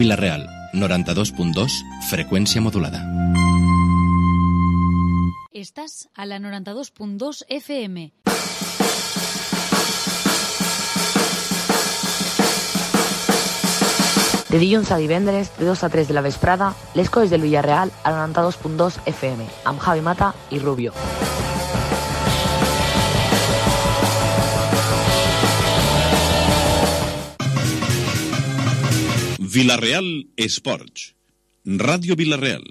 Vila-real, 92.2, freqüència modulada. Estàs a la 92.2 FM. De dilluns a divendres, de 2 a 3 de la vesprada, les coses del Villarreal a la 92.2 FM, amb Javi Mata i Rubio. Vila-real Esports. Ràdio Vila-real.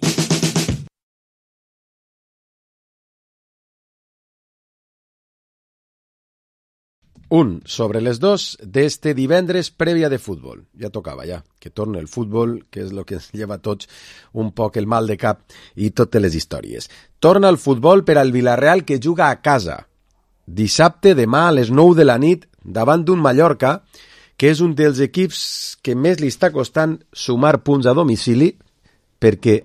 Un sobre les dos d'este divendres prèvia de futbol. Ja tocava, ja, que torna el futbol, que és el que ens lleva a tots un poc el mal de cap i totes les històries. Torna el futbol per al Villarreal, que juga a casa. Dissabte, demà, a les 9 de la nit, davant d'un Mallorca, que és un dels equips que més li està costant sumar punts a domicili, perquè,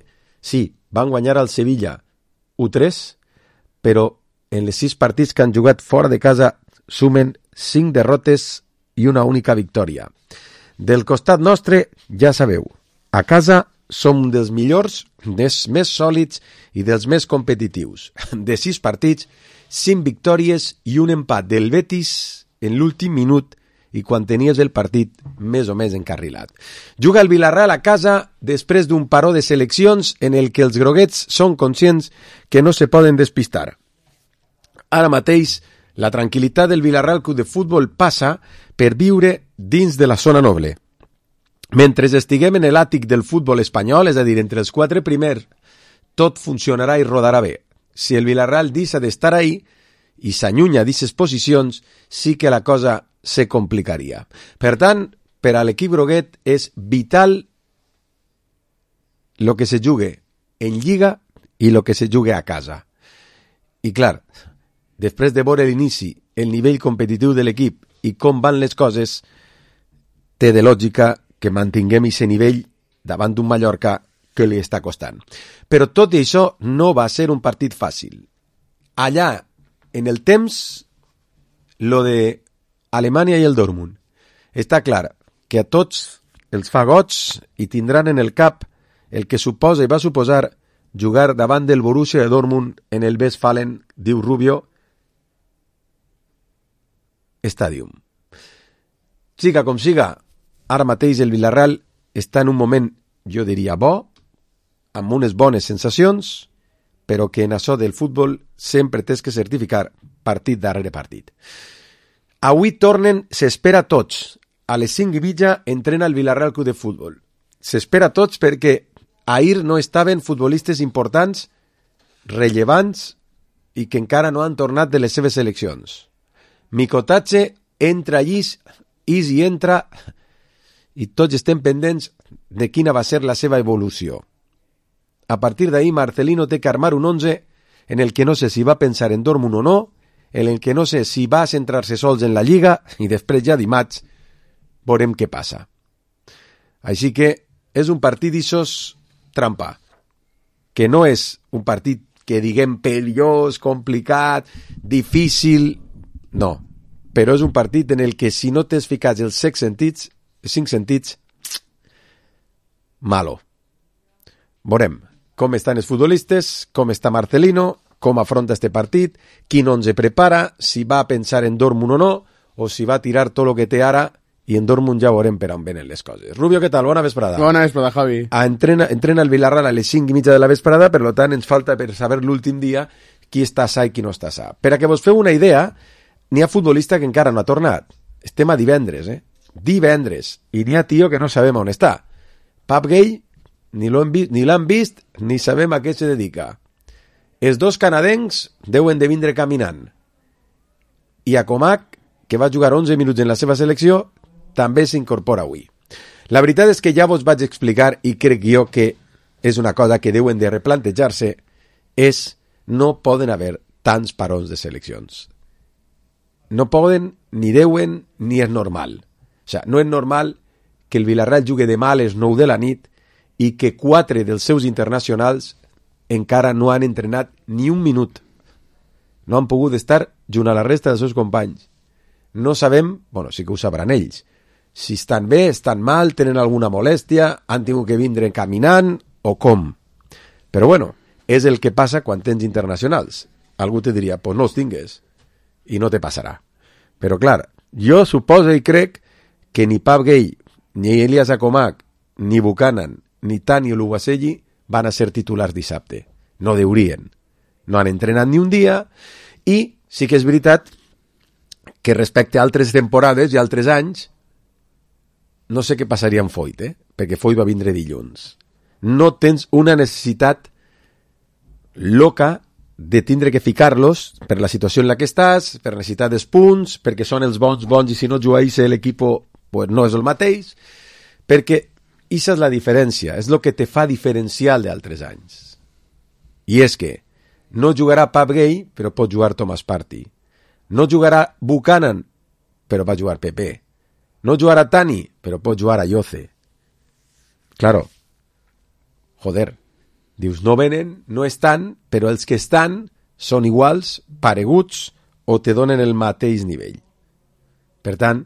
sí, van guanyar al Sevilla 1-3, però en les 6 partits que han jugat fora de casa sumen 5 derrotes i una única victòria. Del costat nostre, ja sabeu, a casa som dels millors, dels més sòlids i dels més competitius. De 6 partits, 5 victòries i un empat del Betis en l'últim minut i quan tenies el partit més o més encarrilat. Juga el Villarreal a casa després d'un paró de seleccions en el que els groguets són conscients que no se poden despistar. Ara mateix, la tranquil·litat del Villarreal Club de Futbol passa per viure dins de la zona noble. Mentre estiguem en l'àtic del futbol espanyol, és a dir, entre els 4 primers, tot funcionarà i rodarà bé. Si el Villarreal deixa d'estar ahí i s'allunya d'aquestes posicions, sí que la cosa se complicaria. Per tant, per a l'equip groguet és vital lo que se jugue en Lliga i lo que se jugue a casa. I clar, després de veure l'inici, el nivell competitiu de l'equip i com van les coses, té de lògica que mantinguem aquest nivell davant d'un Mallorca que li està costant. Però tot i això no va ser un partit fàcil. Allà, en el temps, lo de Alemanya i el Dortmund. Està clar que a tots els fa goig i tindran en el cap el que suposa i va suposar jugar davant del Borussia de Dortmund en el Westfalen, diu Rubio, Stadium. Siga com siga, ara mateix el Villarreal està en un moment, jo diria, bo, amb unes bones sensacions, però que en això del futbol sempre tens que certificar partit darrere partit. Avui tornen, s'espera a tots. A les 5:30 entrena el Villarreal Club de Futbol. S'espera a tots perquè ahir no estaven futbolistes importants, rellevants i que encara no han tornat de les seves seleccions. Micotatge entra allí, Isi entra i tots estem pendents de quina va ser la seva evolució. A partir d'ahir, Marcelino té que armar un 11 en el que no sé si va pensar en Dortmund o no, en el que no sé si va centrar-se sols en la Lliga i després ja dimarts veurem què passa. Així que és un partit d'ixos trampa, que no és un partit que diguem perillós, complicat, difícil, no, però és un partit en el que si no t'has ficat els 5 sentits, malo. Veurem com estan els futbolistes, com està Marcelino, com afronta este partit, quin 11 prepara, si va a pensar en Dortmund o no, o si va a tirar tot el que té ara, i en Dortmund ja veurem per on venen les coses. Rubio, què tal? Bona vesprada. Bona vesprada, Javi. Entrena el Villarreal a les 5:30 de la vesprada, per tant ens falta per saber l'últim dia qui està sa i qui no està sa. Per a que vos feu una idea, n'hi ha futbolista que encara no ha tornat. Estem a divendres, divendres, i n'hi ha tio que no sabem on està. Pap Gay, ni l'han vist, ni sabem a què se dedica. Els 2 canadencs deuen de vindre caminant. I a Comac, que va jugar 11 minuts en la seva selecció, també s'incorpora avui. La veritat és que ja vos vaig explicar, i crec jo que és una cosa que deuen de replantejar-se, és no poden haver tants parons de seleccions. No poden, ni deuen, ni és normal. O sigui, no és normal que el Villarreal jugui demà a les 9 de la nit i que 4 dels seus internacionals encara no han entrenat ni un minut. No han pogut estar junt a la resta dels seus companys. No sabem, bueno, sí que ho sabran ells, si estan bé, estan mal, tenen alguna molèstia, han tingut que vindre caminant o com. Però bueno, és el que passa quan tens internacionals. Algú te diria, pues no els tingues i no te passarà. Però clar, jo suposo i crec que ni Pap Gay, ni Elias Akomak, ni Buchanan, ni Tani Oluwaseyi van a ser titulars dissabte. No deurien. No han entrenat ni un dia i sí que és veritat que respecte a altres temporades i altres anys no sé què passaria amb Foyt, perquè Foyt va vindre dilluns. No tens una necessitat loca de tindre que ficar-los per la situació en la que estàs, per necessitat dels punts, perquè són els bons i si no jugueix l'equip pues no és el mateix, perquè això és la diferència, és el que te fa diferencial d'altres anys. I és que no jugarà Pap Gay, però pot jugar Thomas Partey. No jugarà Buchanan, però va jugar Pepe. No jugarà Tani, però pot jugar Ayoce. Claro, joder, dius, no venen, no estan, però els que estan són iguals, pareguts, o te donen el mateix nivell. Per tant,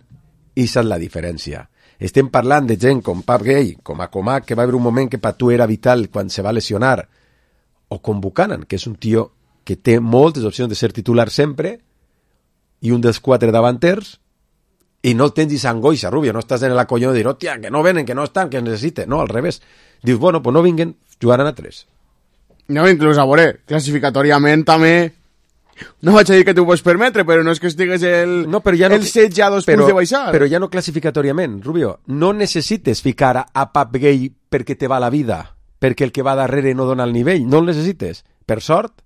aquesta és la diferència. Estem parlant de gent com Pap Gay, com Akomak, que va haver un moment que per tu era vital quan se va lesionar, o com Buchanan, que és un tio que té moltes opcions de ser titular sempre, i un dels 4 davanters, i no tens esa angoixa, Rubio, no estàs en la collona de dir, hòstia, que no venen, que no estan, que necessiten. No, al revés. Dius, bueno, pues no vinguen, jugaran a 3. No, inclús a veure, classificatoriament també no vaig a dir que t'ho pots permetre, però no és que estigues el 16 a 2 punts de baixar. Però ja no classificatoriament, Rubio. No necessites ficar a Pap Gay perquè te va la vida, perquè el que va darrere no dona el nivell. No el necessites. Per sort,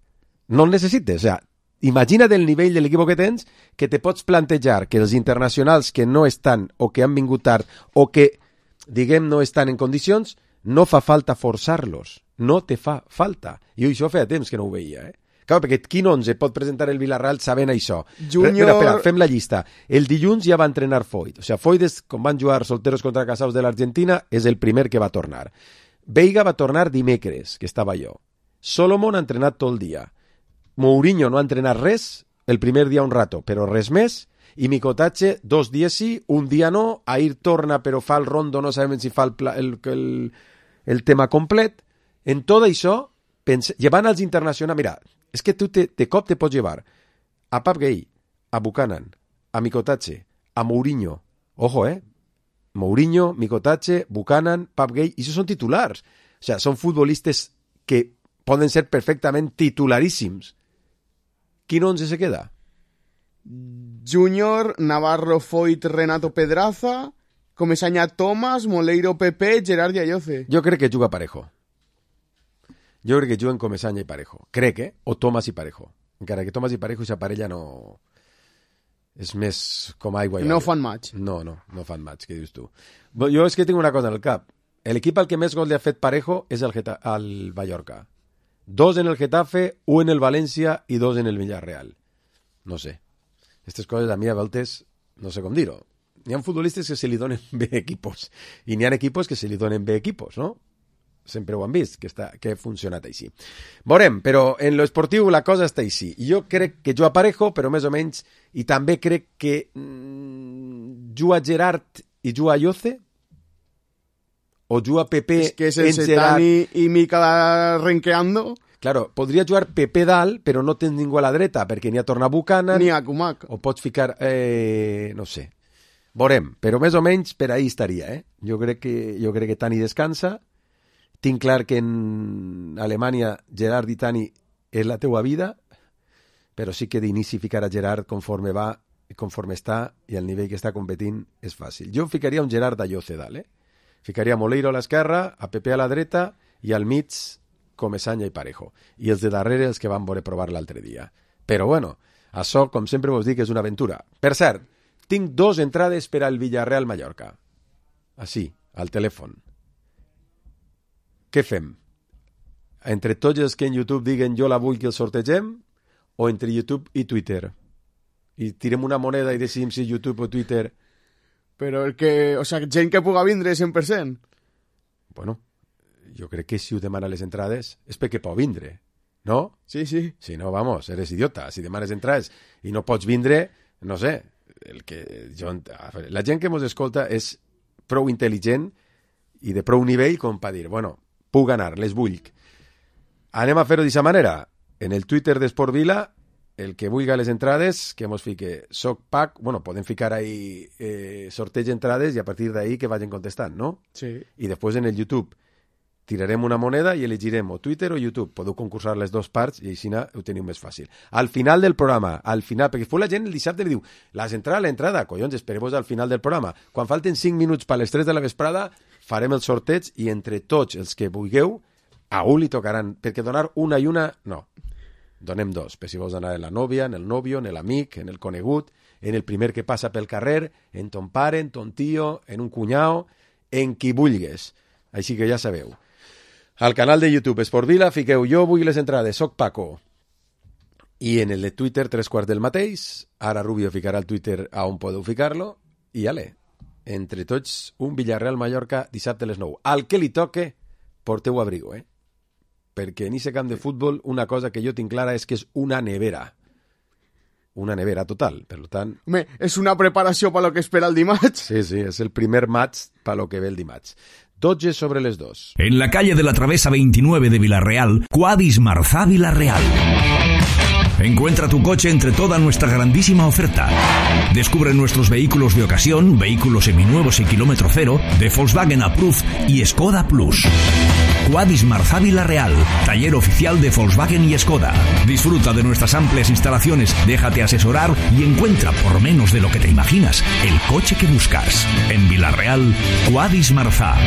no el necessites. O sea, imagina't el nivell de l'equip que tens, que te pots plantejar que els internacionals que no estan o que han vingut tard o que, diguem, no estan en condicions, no fa falta forçar-los. No te fa falta. Jo això feia temps que no ho veia, Clar, perquè quin 11 pot presentar el Villarreal sabent això? Júnior... Espera, fem la llista. El dilluns ja va entrenar Foyt. O sigui, Foyt, com van jugar solteros contra casados de l'Argentina, és el primer que va tornar. Veiga va tornar dimecres, que estava jo. Solomon ha entrenat tot el dia. Mourinho no ha entrenat res, el primer dia un rato, però res més, i Mikotache 2 dies sí, un dia no, Ahir torna però fa el rondo, no sabem si fa el tema complet. En tot això, llevant als internacionals, mira, és que tu de cop te pots llevar a Pap Gay, a Buchanan, a Mikotache, a Mourinho, ojo, Mourinho, Mikotache, Buchanan, Pap Gay, i això són titulars, o sigui, són futbolistes que poden ser perfectament titularíssims. Quin 11 se queda? Júnior, Navarro, Foyt, Renato Pedraza, Comesaña Tomás, Moleiro Pepe, Gerard i Ayoce. Jo crec que juga Parejo. Jo crec que juguen Comesaña i Parejo. Crec, o Tomás i Parejo. Encara que Tomás i Parejo i sa parella no... És més com aigua i no oli. fan match. No fan match, què dius tu? Jo és que tinc una cosa en el cap. L'equip al que més gol li ha fet Parejo és el Mallorca. 2 en el Getafe, 1 en el València i 2 en el Villarreal. No sé. Aquestes coses a mi a voltes no sé com dir-ho. N'hi ha futbolistes que se li donen bé equipos i n'hi ha equipos que se li donen bé equipos, no? Sempre ho han vist, que ha funcionat així. Veurem, però en lo esportiu la cosa està així. Jo crec que juga Parejo, però més o menys, i també crec que juga Gerard i juga Ayoce, o juga Pepe es que es el Setani i Mica renqueando. Claro, podria jugar Pepe dalt, però no tens ningú a la dreta, perquè n'hi ha torna Buchanan. Ni a Kumak. O pots ficar, no sé. Veurem, però més o menys per ahí estaria, Jo crec que Tani descansa. Tinc clar que en Alemanya Gerard i Tani és la teua vida, però sí que d'inici ficar a Gerard conforme va, conforme està, i al nivell que està competint és fàcil. Jo ficaria un Gerard Ayoce dalt, Ficaria Moleiro a l'esquerra, a Pepe a la dreta, i al mig Comesaña i Parejo. I els de darrere els que van voler provar l'altre dia. Però bueno, això, com sempre vos dic, és una aventura. Per cert, tinc 2 entrades per al Villarreal Mallorca. Així, al telèfon. Què fem? Entre tots els que en YouTube diguen jo la vull que el sortegem, o entre YouTube i Twitter? I tirem una moneda i decidim si YouTube o Twitter... Però el que... O sigui, gent que puga vindre 100%. Bueno, jo crec que si ho demana les entrades és perquè pot vindre, no? Sí. Si no, vamos, eres idiota. Si demanes entrades i no pots vindre, no sé, La gent que mos escolta és prou intel·ligent i de prou nivell com per dir, bueno, puc anar, les vull. Anem a fer-ho d'aquesta manera. En el Twitter d'Esport Vila, el que vulga les entrades, que mos fique SOCPAC, bueno, podem ficar ahí sorteig entrades i a partir d'ahí que vagin contestant, no? Sí. I després en el YouTube tirarem una moneda i elegirem o Twitter o YouTube. Podeu concursar les dues parts i així ho teniu més fàcil. Al final del programa, perquè després la gent el dissabte li diu l'entrada, collons, espereu-vos al final del programa. Quan falten 5 minuts per les 3 de la vesprada, farem el sorteig i entre tots els que vulgueu, a un li tocaran, perquè donar una i una, no. Donem dos, per si vols anar en la nòvia, en el nòvio, en l'amic, en el conegut, en el primer que passa pel carrer, en ton pare, en ton tio, en un cunyau, en qui vulgues. Així que ja sabeu. Al canal de YouTube Esport Vila fiqueu jo vull les entrades, soc Paco. I en el de Twitter 3/4 del mateix. Ara Rubio ficarà el Twitter a on podeu ficar-lo. I ale, entre tots un Villarreal-Mallorca dissabte a les 9. Al que li toque, porteu abrigo, perquè en aquest camp de futbol una cosa que jo tinc clara és que és una nevera. Una nevera total, per tant... Home, és una preparació per lo que espera el dimarts. Sí, és el primer match per lo que ve el dimarts. 12 sobre les 2. En la calle de la Travesa 29 de Villarreal, Quadis Marzá Villarreal. Encuentra tu coche entre toda nuestra grandísima oferta. Descubre nuestros vehículos de ocasión, vehículos seminuevos y kilómetro cero, de Volkswagen Approved y Skoda Plus. Quadis Marzá Villarreal, taller oficial de Volkswagen y Skoda. Disfruta de nuestras amplias instalaciones, déjate asesorar y encuentra por menos de lo que te imaginas el coche que buscas. En Villarreal, Quadis Marzá.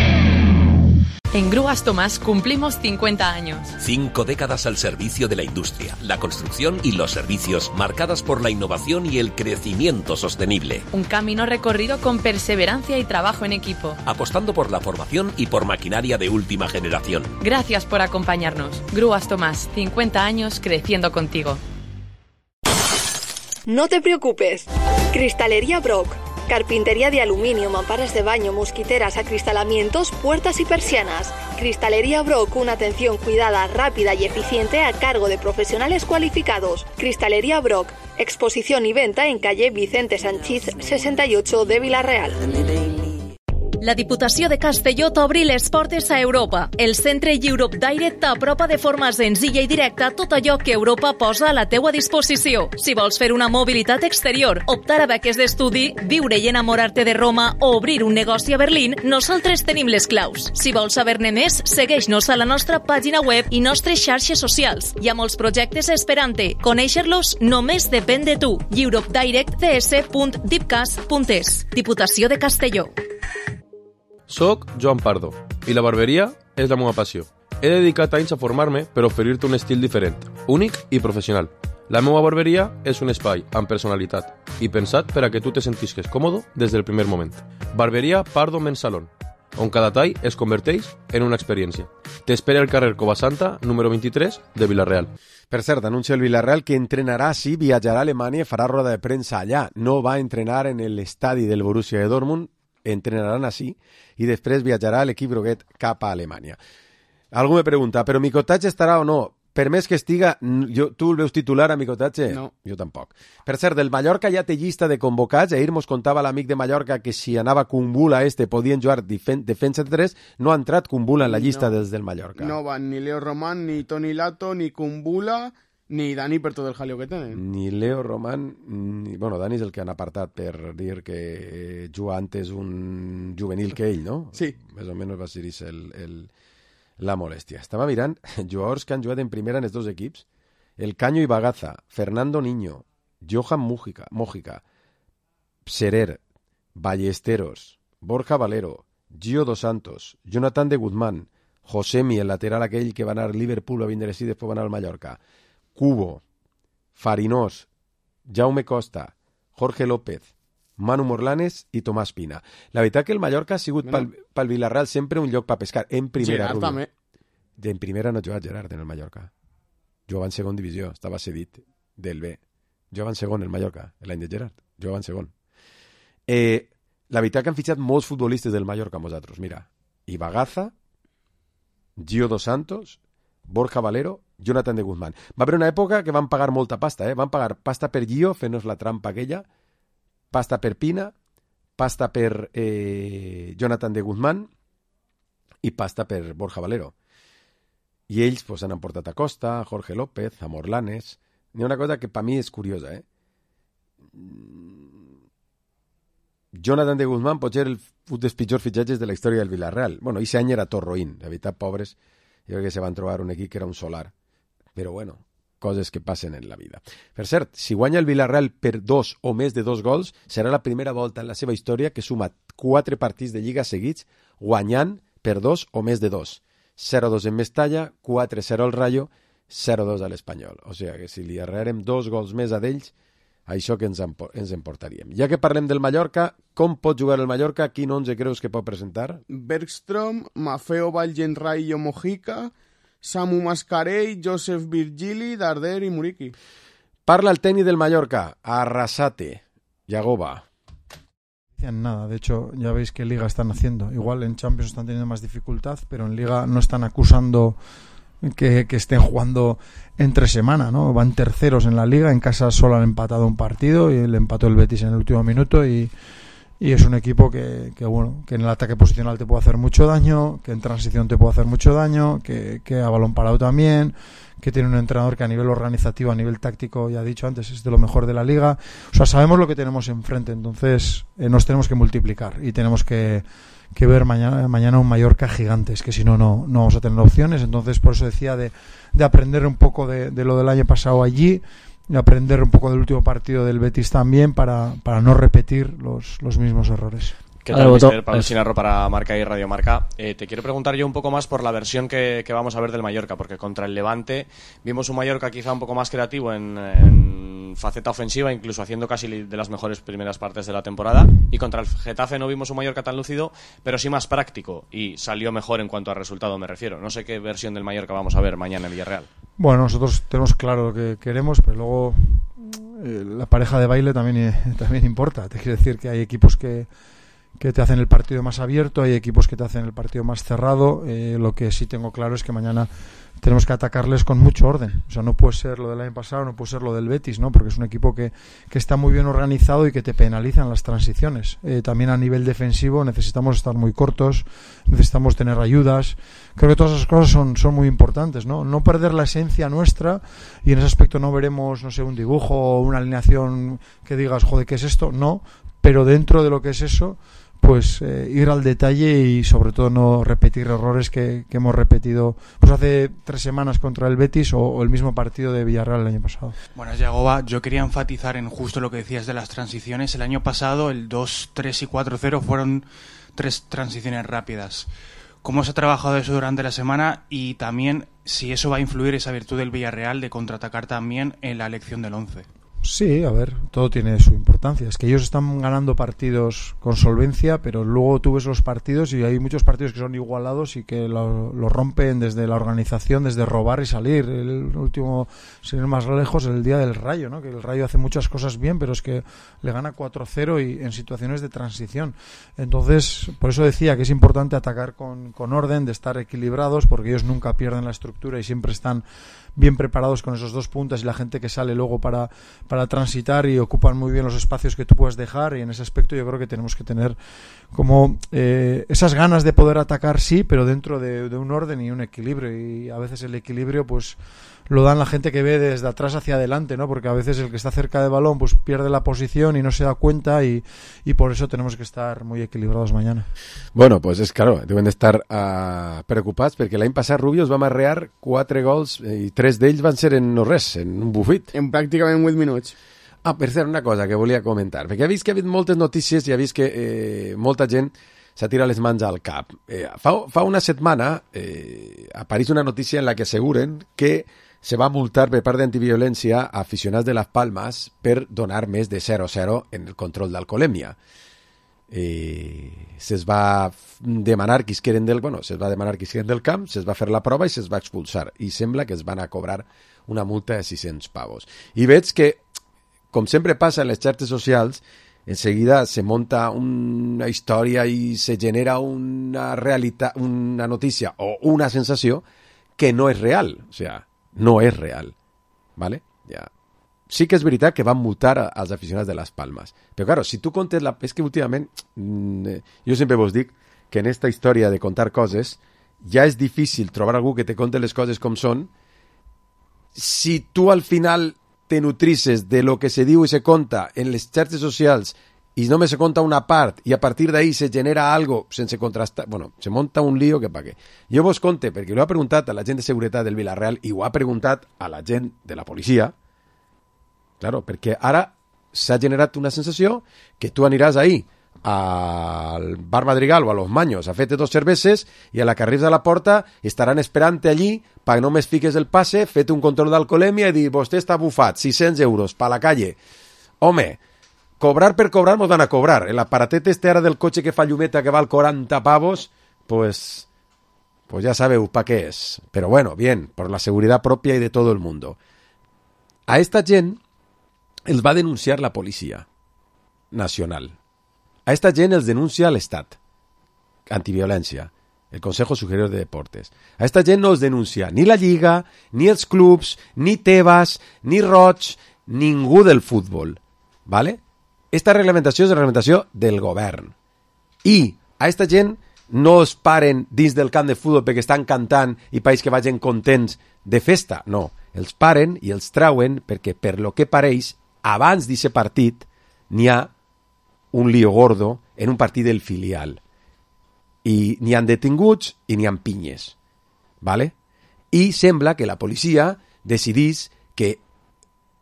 En Grúas Tomás cumplimos 50 años. 5 décadas al servicio de la industria, la construcción y los servicios, marcadas por la innovación y el crecimiento sostenible. Un camino recorrido con perseverancia y trabajo en equipo. Apostando por la formación y por maquinaria de última generación. Gracias por acompañarnos. Grúas Tomás, 50 años creciendo contigo. No te preocupes. Cristalería Brock. Carpintería de aluminio, mamparas de baño, mosquiteras, acristalamientos, puertas y persianas. Cristalería Brock, una atención cuidada, rápida y eficiente a cargo de profesionales cualificados. Cristalería Brock, exposición y venta en calle Vicente Sanchís 68 de Villarreal. La Diputació de Castelló t'obri les portes a Europa. El centre Europe Direct t'apropa de forma senzilla i directa tot allò que Europa posa a la teua disposició. Si vols fer una mobilitat exterior, optar a beques d'estudi, viure i enamorar-te de Roma o obrir un negoci a Berlín, nosaltres tenim les claus. Si vols saber-ne més, segueix-nos a la nostra pàgina web i nostres xarxes socials. Hi ha molts projectes esperant-te. Conèixer-los només depèn de tu. europedirectcs.dipcas.es. Diputació de Castelló. Soc Joan Pardo i la barberia és la meva passió. He dedicat anys a formar-me per oferir-te un estil diferent, únic i professional. La meva barberia és un espai amb personalitat i pensat per a que tu te sentisques còmode des del primer moment. Barberia Pardo Men's Salon, on cada tall es converteix en una experiència. T'espera al carrer Covasanta, número 23, de Villarreal. Per cert, anuncia el Villarreal que entrenarà, sí, viatjarà a Alemanya i farà roda de premsa allà. No va entrenar en l'estadi del Borussia de Dortmund, entrenaran així i després viatjarà l'equip groguet cap a Alemanya. Algú me pregunta, però Micotatge estarà o no? Per més que estiga, tu el veus titular a Micotatge? No. Jo tampoc. Per cert, del Mallorca ja té llista de convocats. Ahir mos contava l'amic de Mallorca que si anava Kumbula podien jugar defensa de 3. No ha entrat Kumbula en la llista dels del Mallorca. No van ni Leo Román, ni Toni Lato, ni Kumbula, ni Dani per tot el jaleo que tenen. Ni Leo Román, bueno, Dani és el que han apartat per dir que juga antes un juvenil que ell, no? Sí. Més o menys va ser la molèstia. Estava mirant jugadors que han jugat en primera en els dos equips. El Caño i Bagaza, Fernando Niño, Johan Mójica, Serer, Ballesteros, Borja Valero, Gio Dos Santos, Jonathan de Guzmán, Josemi, el lateral aquell que va anar al Liverpool a vindre i després va anar al Mallorca, Cubo, Farinós, Jaume Costa, Jorge López, Manu Morlanes i Tomàs Pina. La veritat que el Mallorca ha sigut pel Villarreal sempre un lloc per pescar. En primera, Gerard també. En primera no ha jugat Gerard en el Mallorca. Jugava en segon divisió, estava cedit del B. Jugava en segon el Mallorca, l'any de Gerard. Jugava en segon. La veritat que han fitxat molts futbolistes del Mallorca amb nosaltres. Mira, Ibagaza, Gio Dos Santos, Borja Valero, Jonathan de Guzmán. Va haver una època que van pagar molta pasta, Van pagar pasta per Gio, fent-nos la trampa aquella, pasta per Pina, pasta per Jonathan de Guzmán i pasta per Borja Valero. I ells pues, han portat a Costa, a Jorge López, a Morlanes. N'hi ha una cosa que per mi és curiosa. Jonathan de Guzmán pot ser un dels pitjors fitxatges de la història del Villarreal. Bueno, aquest any era Torroín. La veritat, pobres, jo crec que se van trobar un equip que era un solar. Però bueno, coses que passen en la vida. Per cert, si guanya el Villarreal per 2 o més de 2 gols, serà la primera volta en la seva història que suma 4 partits de Lliga seguits guanyant per 2 o més de 2. 0-2 en Mestalla, 4-0 al Rayo, 0-2 a l'Espanyol. O sigui que si li arrearem 2 gols més a d'ells, això que ens emportaríem. Ja que parlem del Mallorca, com pot jugar el Mallorca? Quin 11 creus que pot presentar? Bergström, Maffeo Valgenrayo Mojica, Samu Mascarell, Joseph Virgili, Darder y Muriqui. Parla el tècnic del Mallorca, Arrasate, Yagoba. Nada, de hecho ya veis que en Liga están haciendo, igual en Champions están teniendo más dificultad, pero en Liga no están acusando que estén jugando entre semana, ¿no? Van terceros en la Liga, en casa solo han empatado un partido y le empató el Betis en el último minuto y es un equipo que bueno, que en el ataque posicional te puede hacer mucho daño, que en transición te puede hacer mucho daño, que a balón parado también, que tiene un entrenador que a nivel organizativo, a nivel táctico, ya he dicho antes, es de lo mejor de la Liga. O sea, sabemos lo que tenemos enfrente, entonces nos tenemos que multiplicar y tenemos que ver mañana un Mallorca gigante, es que si no vamos a tener opciones. Entonces por eso decía de aprender un poco de lo del año pasado allí, y aprender un poco del último partido del Betis también para no repetir los mismos errores. ¿Qué tal, mister? Pablo Chinarro para Marca y Radio Marca. Te quiero preguntar yo un poco más por la versión que vamos a ver del Mallorca, porque contra el Levante vimos un Mallorca quizá un poco más creativo en faceta ofensiva, incluso haciendo casi de las mejores primeras partes de la temporada, y contra el Getafe no vimos un Mallorca tan lúcido, pero sí más práctico, y salió mejor en cuanto a resultado me refiero. No sé qué versión del Mallorca vamos a ver mañana en Villarreal. Bueno, nosotros tenemos claro lo que queremos, pero luego la pareja de baile también importa. Te quiero decir que hay equipos que te hacen el partido más abierto, hay equipos que te hacen el partido más cerrado. Lo que sí tengo claro es que mañana tenemos que atacarles con mucho orden. O sea, no puede ser lo del año pasado, no puede ser lo del Betis, ¿no? Porque es un equipo que está muy bien organizado y que te penalizan las transiciones. También a nivel defensivo necesitamos estar muy cortos, necesitamos tener ayudas. Creo que todas esas cosas son muy importantes, ¿no? No perder la esencia nuestra, y en ese aspecto no veremos, no sé, un dibujo o una alineación que digas, joder, ¿qué es esto? No, pero dentro de lo que es eso, pues ir al detalle y sobre todo no repetir errores que hemos repetido pues hace 3 semanas contra el Betis o el mismo partido de Villarreal el año pasado. Bueno, Yagoba, yo quería enfatizar en justo lo que decías de las transiciones. El año pasado el 2-3 y 4-0 fueron 3 transiciones rápidas. ¿Cómo se ha trabajado eso durante la semana? Y también si eso va a influir esa virtud del Villarreal de contraatacar también en la elección del 11. Sí, a ver, todo tiene su importancia. Es que ellos están ganando partidos con solvencia, pero luego tú ves los partidos y hay muchos partidos que son igualados y que lo rompen desde la organización, desde robar y salir. El último, sin ir más lejos, el día del Rayo, ¿no? Que el Rayo hace muchas cosas bien, pero es que le gana 4-0 y en situaciones de transición. Entonces, por eso decía que es importante atacar con orden, de estar equilibrados, porque ellos nunca pierden la estructura y siempre están bien preparados con esos 2 puntas y la gente que sale luego para transitar y ocupan muy bien los espacios que tú puedes dejar, y en ese aspecto yo creo que tenemos que tener como esas ganas de poder atacar, sí, pero dentro de un orden y un equilibrio, y a veces el equilibrio pues lo dan la gente que ve desde atrás hacia adelante, ¿no? Porque a veces el que está cerca del balón pues pierde la posición y no se da cuenta, y por eso tenemos que estar muy equilibrados mañana. Bueno, pues és claro, deben d'estar preocupats perquè l'any passat Rubio es va amarrear 4 gols i 3 d'ells van ser en no res, en un bufit. En pràcticament 8 minuts. Per cert, una cosa que volia comentar, perquè he vist que ha hagut moltes notícies i he vist que molta gent s'ha tirat les mans al cap. Fa una setmana apareix una notícia en la que asseguren que se va multar per part d'antiviolència a aficionats de Las Palmas per donar més de 0-0 en el control d'alcoholèmia. Se'ls va demanar qui es queden del camp, se'ls va fer la prova i se'ls va expulsar, i sembla que es van a cobrar una multa de 600 pavos. I veig que, com sempre passa en les xarxes socials, enseguida se monta una història i se genera una realitat, una notícia o una sensació que no és real, o sea, no és real, ¿vale? Ya sí que és veritat que van multar als aficionats de Las Palmas. Però, claro, si tu contes... És que últimament, jo sempre vos dic que en esta història de contar coses ja és difícil trobar algú que te conte les coses com són. Si tu al final te nutrices de lo que se diu i se conta en les xarxes socials i només se conta una part i a partir d'ahí se genera algo sense contrastar, bueno, se monta un lío que pa què. Jo vos conte, perquè ho he preguntat a la gent de seguretat del Villarreal i ho ha preguntat a la gent de la policia, claro, perquè ara s'ha generat una sensació que tu aniràs ahí al Bar Madrigal o a Los Maños a fer-te 2 cerveses i a la que arribes a la porta estaran esperant-te allí perquè només fiques el passe, fete un control d'alcoholèmia i dir, vostè està bufat, 600 euros pa la calle. Home, cobrar per cobrar mos van a cobrar. El aparatet este ara del cotxe que fa llumeta que val 40 pavos, pues ya sabeu pa què és. Pero bueno, bien, por la seguridad propia y de todo el mundo. A esta gent els va denunciar la policia nacional. A esta gent els denuncia l'Estat. Antiviolència. El Consejo Superior de Deportes. A esta gent no els denuncia ni la Lliga, ni els clubs, ni Tebas, ni Roig, ningú del futbol. ¿Vale? Esta reglamentació és la reglamentació del govern. I a esta gent no es paren dins del camp de futbol perquè estan cantant i país que vagin contents de festa. No, els paren i els trauen perquè, per lo que pareix, abans d'aquest partit n'hi ha un lío gordo en un partit del filial. I n'hi han detinguts i n'hi han pinyes. ¿Vale? I sembla que la policia decidís que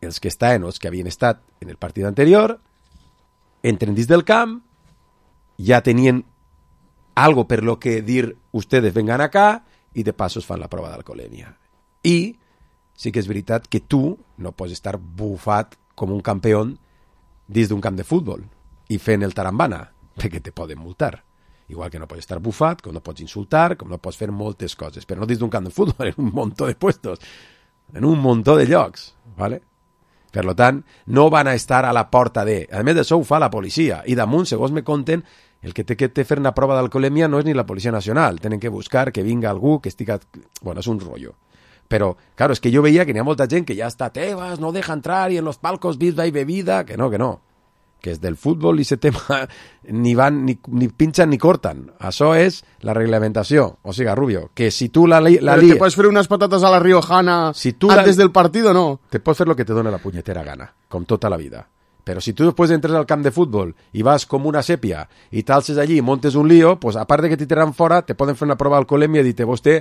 els que estaven, els que havien estat en el partit anterior, entren dins del camp, ja tenien algo per lo que dir ustedes vengan acá i de pasos fan la prova d'alcoholèmia. I sí que és veritat que tu no pots estar bufat com un campió dins d'un camp de futbol i fent el tarambana, perquè te poden multar. Igual que no pots estar bufat, com no pots insultar, com no pots fer moltes coses, però no dins d'un camp de futbol, en un muntó de puestos, en un muntó de llocs, ¿vale? Per tant, no van a estar a la porta de... A més d'això ho fa la policia. I damunt, segons me conten, el que té fer una prova d'alcoholèmia no és ni la Policia Nacional. Tenen que buscar que vinga algú que estiga... Bueno, és un rollo. Però, claro, és que jo veia que n'hi ha molta gent que ja està Tebas, no deja entrar, i en los palcos birra i bebida... Que no. Que és del futbol i ese tema ni van, ni pinxan ni cortan. Això és la reglamentació. O sigui, Rubio, que si tu la te pots fer unes patates a la riojana si antes del partido, no? Te pots fer lo que te dona la punyetera gana, com tota la vida. Però si tu després entres al camp de futbol i vas com una sèpia i t'alces allí i montes un lío, pues a part de que t'hi tiraran fora, te poden fer una prova d'alcoholèmia i dir-te, vostè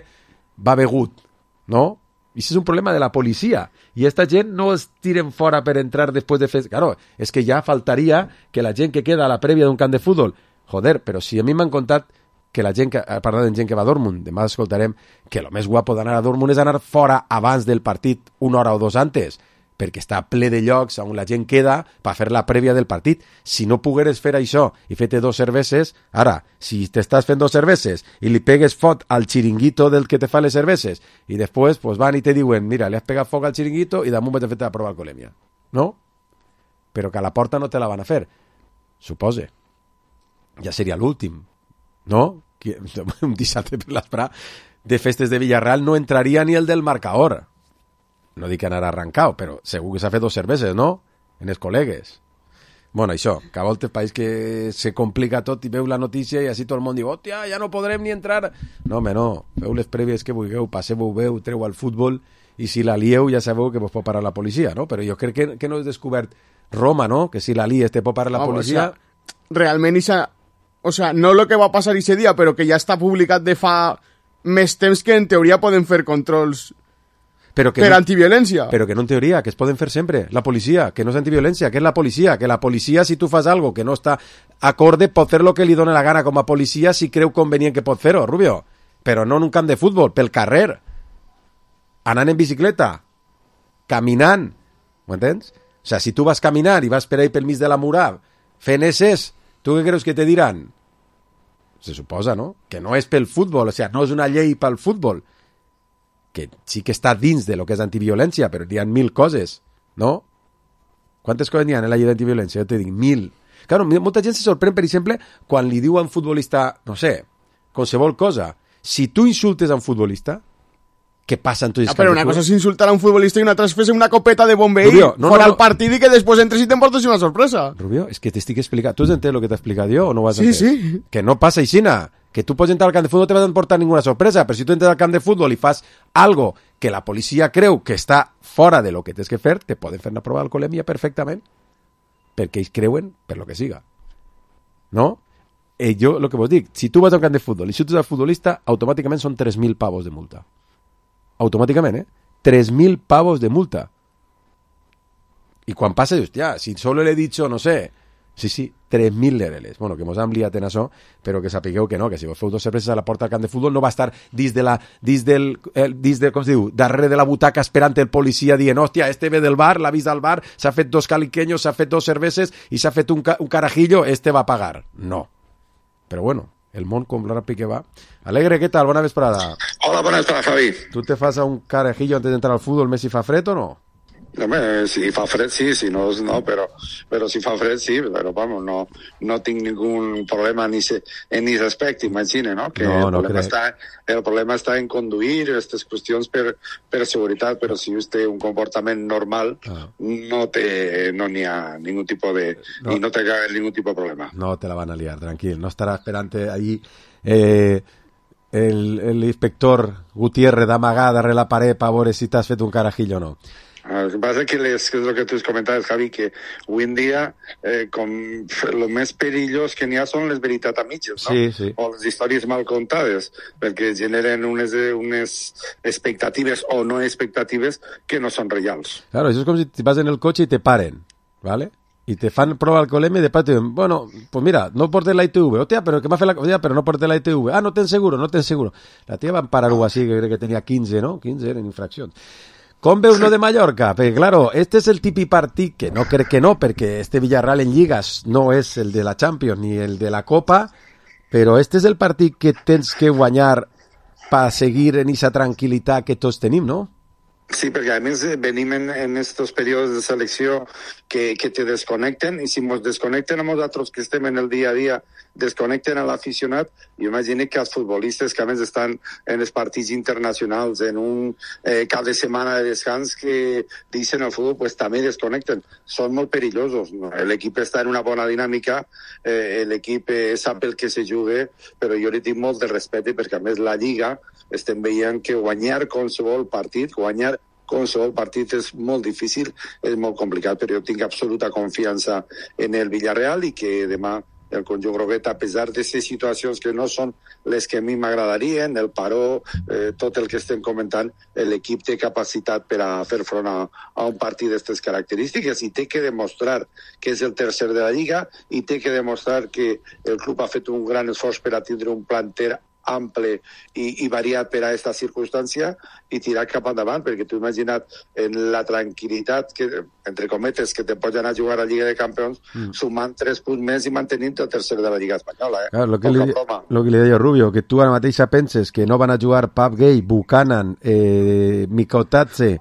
va begut, no? I això és un problema de la policia. I esta gent no els tiren fora per entrar després de fer... Claro, és que ja faltaria que la gent que queda a la prèvia d'un camp de futbol... Joder, però si a mi m'han contat que la gent que... Parlant de gent que va a Dortmund, demà escoltarem que el més guapo d'anar a Dortmund és anar fora abans del partit, 1 hora o 2 antes, perquè està ple de llocs on la gent queda per fer la prèvia del partit. Si no pogueres fer això i fer-te 2 cerveses, ara, si t'estàs fent 2 cerveses i li pegues fot al xiringuito del que te fa les cerveses i després pues, van i te diuen, mira, li has pegat foc al xiringuito i damunt vaig a fer-te la prova d'alcoholèmia. No? Però que a la porta no te la van a fer. Supose. Ja seria l'últim. No? Un dissabte per l'esprà de festes de Villarreal no entraria ni el del marcador. No dic anar arrancau, però segur que s'ha fet 2 cerveses, no? En els col·legues. Bueno, això, que a voltes país que se complica tot i veu la notícia i així tot el món diu, hòstia, ja no podrem ni entrar. No, home, no. Feu les prèvies que vulgueu, passeu-ho bé, treu al futbol i si la lieu ja sabeu que vos pot parar la policia, no? Però jo crec que no he descobert Roma, no? Que si la lies te pot parar la policia... O sea, realment, o sea, no lo que va passar ese dia, però que ja està publicat de fa més temps que en teoria poden fer controls... per no, antiviolència. Però que no en teoria, que es poden fer sempre. La policia, que no és antiviolència, que és la policia. Que la policia, si tu fas algo que no està acorde, pot fer lo que li dona la gana com a policia si creu convenient que pot fer-ho, Rubio. Però no en un camp de futbol, pel carrer. Anant en bicicleta. Caminant. M'entens? O sea, si tu vas caminant i vas per ahí pel mig de la murada fent esses, tu què creus que te diran? Se suposa, no? Que no és pel futbol, o sea, no és una llei pel futbol. Que sí que està dins de lo que és antiviolència, però hi ha 1000 coses, no? Quantes coses n'hi ha en la llei d'antiviolència? Jo te dic, 1000. Claro, molta gent se sorprèn, per exemple, quan li diu a un futbolista, no sé, qualsevol cosa. Si tu insultes a un futbolista, què passa en tots els Però una cosa és insultar a un futbolista i una altra és fer una copeta de bombeí fora al partit i que després entres i t'emportes una sorpresa. Rubio, és que t'estic explicant. Tu has entès el que t'he explicat jo o no ho has entès? Sí. Que no passa aixina. Que tu pots entrar al camp de futbol no te vas a emportar ninguna sorpresa, però si tu entres al camp de futbol i fas algo que la policia creu que està fora de lo que tens que fer, te poden fer una prova d'alcoholèmia perfectament, perquè ells creuen per lo que siga. No? Jo, el que vos dic, si tu vas al camp de futbol i xutes al futbolista, automàticament són 3.000 pavos de multa. Automàticament, 3.000 pavos de multa. I quan passa, dius, ja, si solo le he dicho, no sé... Sí, 3.000 lereles. Bueno, que mos han liat en això, però que sapigueu que no, que si vos feu 2 cerveses a la porta del camp de futbol no va estar dins com es diu, darrere de la butaca esperant el policia dient, hòstia, este ve del bar, l'ha vist al bar, s'ha fet 2 caliqueños, s'ha fet 2 cerveses i s'ha fet un carajillo, este va a pagar. No. Però bueno, el món com ràpid que va. Alegre, què tal? Bona vesprada. Hola, bona vesprada, Javi. Tu te fas a un carajillo antes d'entrar al futbol, més si fa fred o no? Home, si fa fred sí, si no, no, però si fa fred sí, però vamos, no tinc ningún problema en ese aspecte, imagina, no? Que el problema està en conduir aquestes qüestions per seguretat, però si vostè un comportament normal no n'hi ha ningún tipus de... i no té ningún tipus de problema. No te la van a liar, tranquil, no estarà esperant ahí el inspector Gutiérrez d'amagar darrere la paret per veure si t'has fet un carajillo o no. El que passa que és el que tu has comentat, Javi, que avui en dia com el més perillós que n'hi ha són les veritats a mitges, no? Sí. O les històries mal contades, perquè generen unes expectatives o no expectatives que no són reals. Claro, això és com si vas en el cotxe i te paren, ¿vale? Y te fan prova alcoholemia y después te dicen, bueno, pues mira, no portes la ITV. Hostia, pero que me hace la cosa, pero no portes la ITV. Ah, no ten seguro. La tía va a parar algo así, que creo que tenía 15, ¿no? 15 en infracción. Com veus lo de Mallorca? Perquè, claro, este és el típic partit que no crec que no, perquè este Villarreal en lligas no és el de la Champions ni el de la Copa, però este és el partit que tens que guanyar per seguir en esa tranquil·litat que tots tenim, no? Sí, perquè a més venim en estos períodes de selecció que te desconnecten, i si ens desconnecten a nosaltres que estem en el dia a dia, desconnecten a l'aficionat, jo imagino que els futbolistes que a més estan en els partits internacionals, en un cap de setmana de descans que deixen el futbol, pues també desconnecten. Són molt perillosos. L'equip està en una bona dinàmica, l'equip sap el que se juga, però jo li tinc molt de respecte perquè a més la Lliga estem veient que guanyar qualsevol partit és molt difícil, és molt complicat, però jo tinc absoluta confiança en el Villarreal i que demà el conjunt groguet, a pesar de ces situacions que no són les que a mi m'agradarien, el paró, tot el que estem comentant, l'equip té capacitat per a fer front a un partit d'aquestes característiques i té que demostrar que és el tercer de la Lliga i té que demostrar que el club ha fet un gran esforç per a tindre un planter ample i variat per a aquesta circumstància i tirar cap endavant, perquè tu imagina't en la tranquil·litat que, entre cometes, que te pots anar a jugar a la Lliga de Campions sumant 3 punts més i mantenint el tercer de la Lliga Espanyola. Claro, lo que li deia Rubio, que tu ara mateix penses que no van a jugar Pap Gay, Buchanan, Mikotadze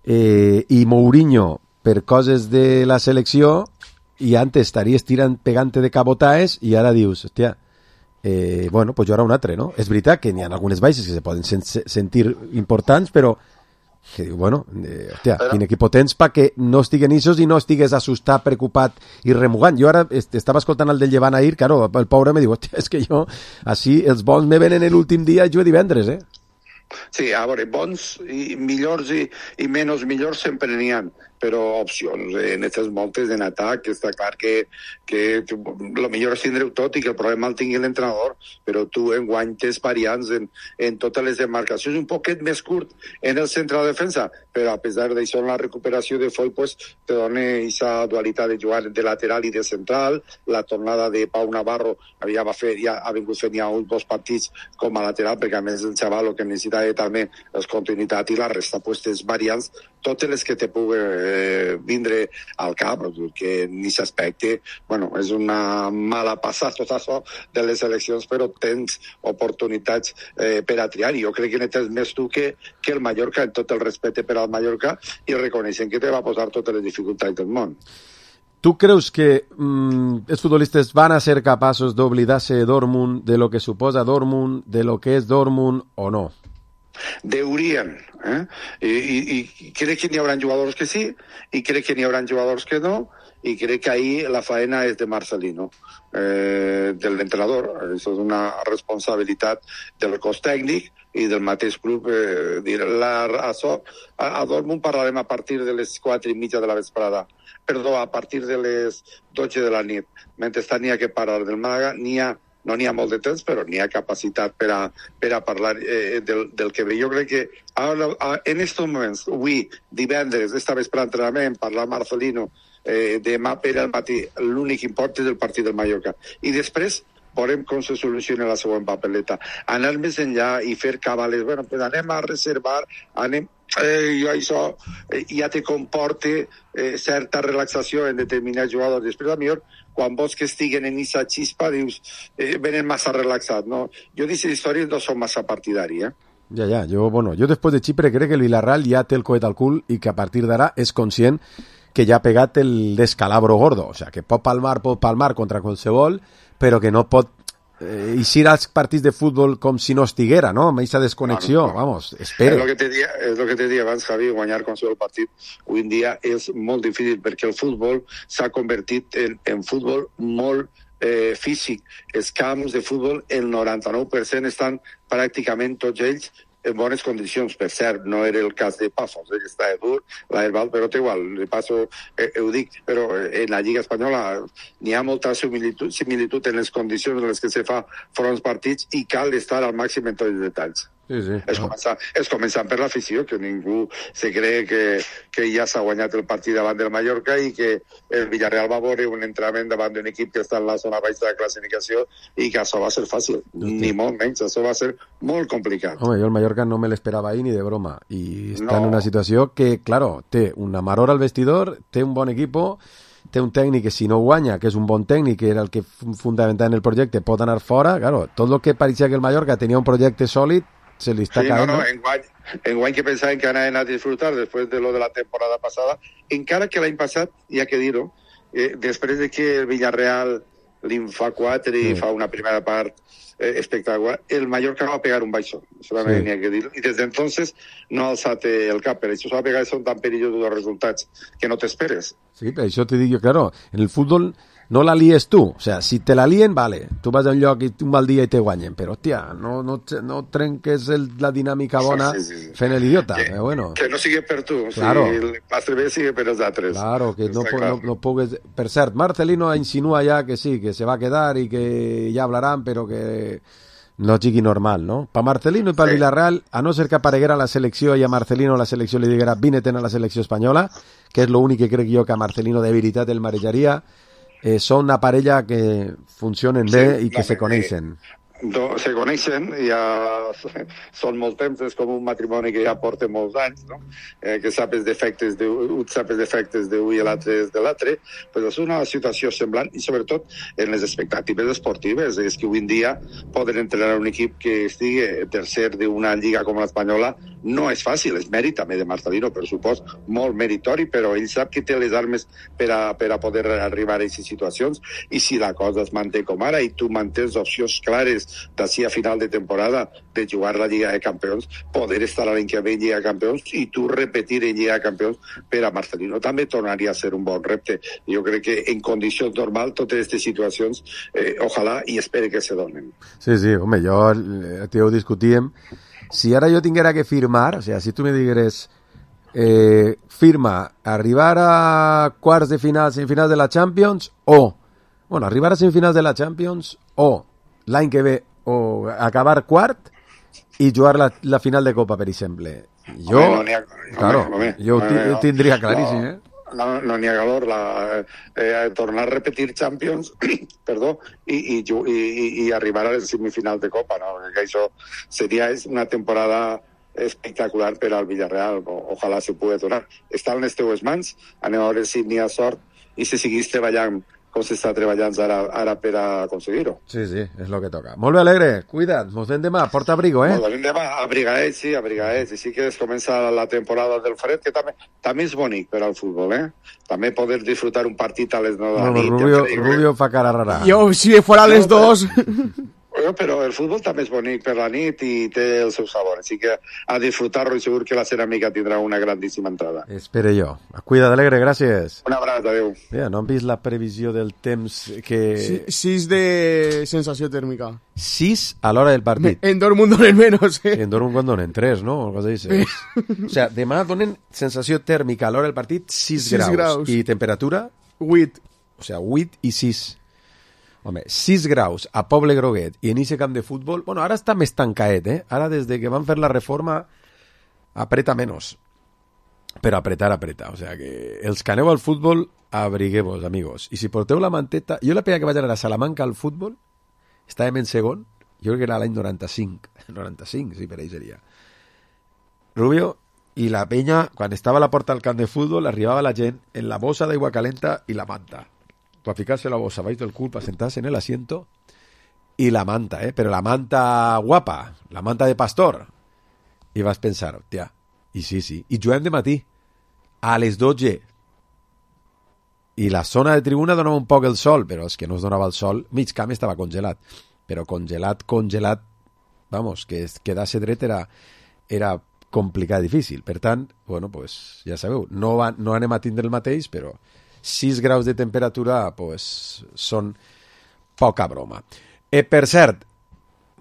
i Mourinho per coses de la selecció i antes estaries pegant-te de cabotaes i ara dius, hòstia, bueno, pues jo ara un altre, no? És veritat que n'hi ha algunes baixes que se poden sentir importants, però que diu, bueno, hòstia, quin equip tens perquè no estiguen issos i no estigues assustat, preocupat i remugant. Jo ara estava escoltant el del Llevant ahir, claro, el pobre me diu, hòstia, és que jo, així, els bons me venen l'últim dia i jo divendres, Sí, a veure, bons i millors i menys millors sempre n'hi ha, però opcions en aquestes moltes en atac, està clar que el millor és tindre-ho tot i que el problema el tingui l'entrenador, però tu enguany tens variants en totes les demarcacions, un poquet més curt en el centre de defensa, però a pesar d'això en la recuperació de Foy pues, te dona aquesta dualitat de jugar de lateral i de central, la tornada de Pau Navarro ja ha vingut fent ja uns 2 partits com a lateral, perquè a més el xaval el que necessita també és continuïtat i la resta pues, tens variants, totes les que te pugui vindre al cap, que en aquest aspecte, bueno, és una mala passada tot això de les eleccions, però tens oportunitats per a triar, i jo crec que n'hi més tu que el Mallorca, en tot el respecte per al Mallorca, i reconeixen que te va posar totes les dificultats del món. Tu creus que els futbolistes van a ser capaços d'oblidar-se de Dortmund, de lo que suposa Dortmund, de lo que és Dortmund o no? Deurien, I crec que n'hi haurà jugadors que sí, i crec que n'hi haurà jugadors que no, i crec que ahí la faena és de Marcelino, del entrenador. Això és una responsabilitat del cos tècnic i del mateix club. A Dortmund parlarem a partir de les 4:30 de la vesprada. Perdó, a partir de les 12 de la nit. Mentrestant n'hi ha que parlar del Màlaga, no n'hi ha molt de temps, però n'hi ha capacitat per a parlar del que ve. Jo crec que ara, en aquests moments, avui, divendres, esta vespre entrenament, parlar Marcelino, demà per al matí, l'únic import és el partit del Mallorca. I després veurem com se soluciona la següent papeleta. Anar més enllà i fer cabales, bueno, pues anem a reservar, això ja te comporta certa relaxació en determinats jugadors. Després, a millor, quan vols que estiguen en aquesta xispa, dius, venen massa relaxats, no? Jo d'aquestes històries no som massa partidari, Ja, jo després de Xipre crec que el Villarreal ja té el coet al cul i que a partir d'ara és conscient que ja ha pegat el descalabro gordo, o sea, que pot palmar contra qualsevol, però que no pot eixir als partits de futbol com si no estiguera, no? Amb aquesta desconnexió, vamos, espera. És el que te dia abans, Javi, guanyar qualsevol partit avui en dia és molt difícil perquè el futbol s'ha convertit en futbol molt físic. Els camps de futbol, el 99% estan pràcticament tots ells en bones condicions. Per cert, no era el cas de Pafos, que està dur, l'Herbal, però té igual, de passo ho dic, però en la Lliga Espanyola n'hi ha molta similitud en les condicions en les que se fa fronts partits i cal estar al màxim en tots els detalls. Sí. És començant per l'afició, que ningú se cree que ja s'ha guanyat el partit davant del Mallorca i que el Villarreal va veure un entrenament davant d'un equip que està en la zona baixa de classificació i que això va ser fàcil, ni molt menys, això va ser molt complicat. Home, jo el Mallorca no me l'esperava ahir ni de broma i està en una situació que, claro, té una maror al vestidor, té un bon equipo, té un tècnic que si no guanya, que és un bon tècnic, que era el que fundamentava en el projecte, pot anar fora. Claro, tot el que pareixia que el Mallorca tenia un projecte sòlid se li està caent. Enguany que pensaven que anaven a disfrutar després de lo de la temporada passada, encara que l'any passat, hi ha que dir-ho, després de que el Villarreal li'n fa 4 i fa una primera part espectacular, el Mallorca va pegar un baixón, això també n'hi ha que dir, i des d'entonces no ha alçat el cap, per això s'ha pegat, són tan perillosos els resultats que no t'esperes. Sí, per això te dic jo, claro, en el futbol no la lies tu, o sea, si te la lien, vale, tu vas a un lloc i un mal dia i te guanyen, però, hòstia, no trenques la dinàmica bona fent l'idiota, però bueno. Que no sigui per tu, claro. Si el pastre bé sigui per els altres. Claro, que no pugues... Per cert, Marcelino insinua ja que sí, que se va a quedar i que ja hablarán, però que no sigui normal, no? Pa Marcelino i pa Villarreal, a no ser que apareguera la selecció i a Marcelino la selecció li diguera vine-te'n a la selecció espanyola, que és l'únic que crec jo que a Marcelino de veritat el marejaria, són una parella que funcionen bé i que se coneixen. Se coneixen, ja són molt temps, és com un matrimoni que ja porta molts anys, no? Que sap els defectes d'un i l'altre és de l'altre, però és una situació semblant i sobretot en les expectatives esportives. És que avui en dia poden entrenar un equip que estigui tercer d'una lliga com l'espanyola no és fàcil, és mèrit també de Marcelino, per supost, molt meritori, però ell sap que té les armes per a poder arribar a aquestes situacions, i si la cosa es manté com ara i tu mantens opcions clares d'ací a final de temporada de jugar la Lliga de Campions, poder estar l'any que ve en Lliga de Campions i tu repetir en Lliga de Campions, per a Marcelino també tornaria a ser un bon repte. Jo crec que en condicions normals totes aquestes situacions ojalà i espere que se donen. Sí, home, jo ho discutíem. Si ara jo tinguera que firmar, o sea, si tu me digueres firma arribar a quarts de final, semifinals de la Champions, o arribar a semifinals de la Champions, o l'any que ve o acabar quart i jugar la final de Copa, per exemple. Jo, ho tindria claríssim, No n'hi ha calor, tornar a repetir Champions, perdó, i arribar a les semifinals de Copa, no? Que això seria una temporada espectacular per al Villarreal, ojalà se pugui donar. Està en les teues mans, anem a veure si n'hi ha sort i si siguis treballant com s'està treballant ara per aconseguir-ho. Sí, és el que toca. Molt bé, Alegre, cuida't, mos veiem demà, porta abrigo, Molt bé, demà, abrigaets, i sí que es comença la temporada del fred, que també és bonic per al futbol, També poder disfrutar un partit a les 9 de la nit. Rubio fa cara rara. Yo, si fuera a les 2... Però el futbol també és bonic per la nit i té el seu sabor, així que a disfrutar-lo i segur que la ceràmica tindrà una grandíssima entrada. Espere jo. Cuida't, Alegre, gràcies. Un abraç, adéu. Ja, no han vist la previsió del temps que... 6 de sensació tèrmica. 6 a l'hora del partit. En Dortmund donen menos, En Dortmund donen 3, no? O sea, demà donen sensació tèrmica a l'hora del partit 6 graus. I temperatura? 8. O sea, 8 i 6. Home, 6 graus a Poble Groguet i en ese camp de futbol... Bueno, ara està més tancaet, Ara, des de que van fer la reforma, apreta menys. Però apretar. O sea, que els que aneu al futbol, abrigueu-vos, amigos. I si porteu la manteta... Jo la penya que vaig anar a Salamanca al futbol, estàvem en segon, jo crec que era l'any 95. 95, sí, per ahí seria. Rubio, i la penya, quan estava a la porta del camp de futbol, arribava la gent en la bossa d'aigua calenta i la manta. Para ficarse la bolsa baix del cul, para sentarse en el asiento y la manta, pero la manta guapa, la manta de pastor. I vas pensar, hòstia, i sí, i juguem de matí a les 12 i la zona de tribuna donava un poc el sol, però és que no es donava el sol, mig camp estava congelat, però congelat, vamos, que quedar-se dret era complicat, difícil. Per tant, bueno, pues ja sabeu, no anem a tindre el mateix, però 6 graus de temperatura pues, són poca broma. Per cert,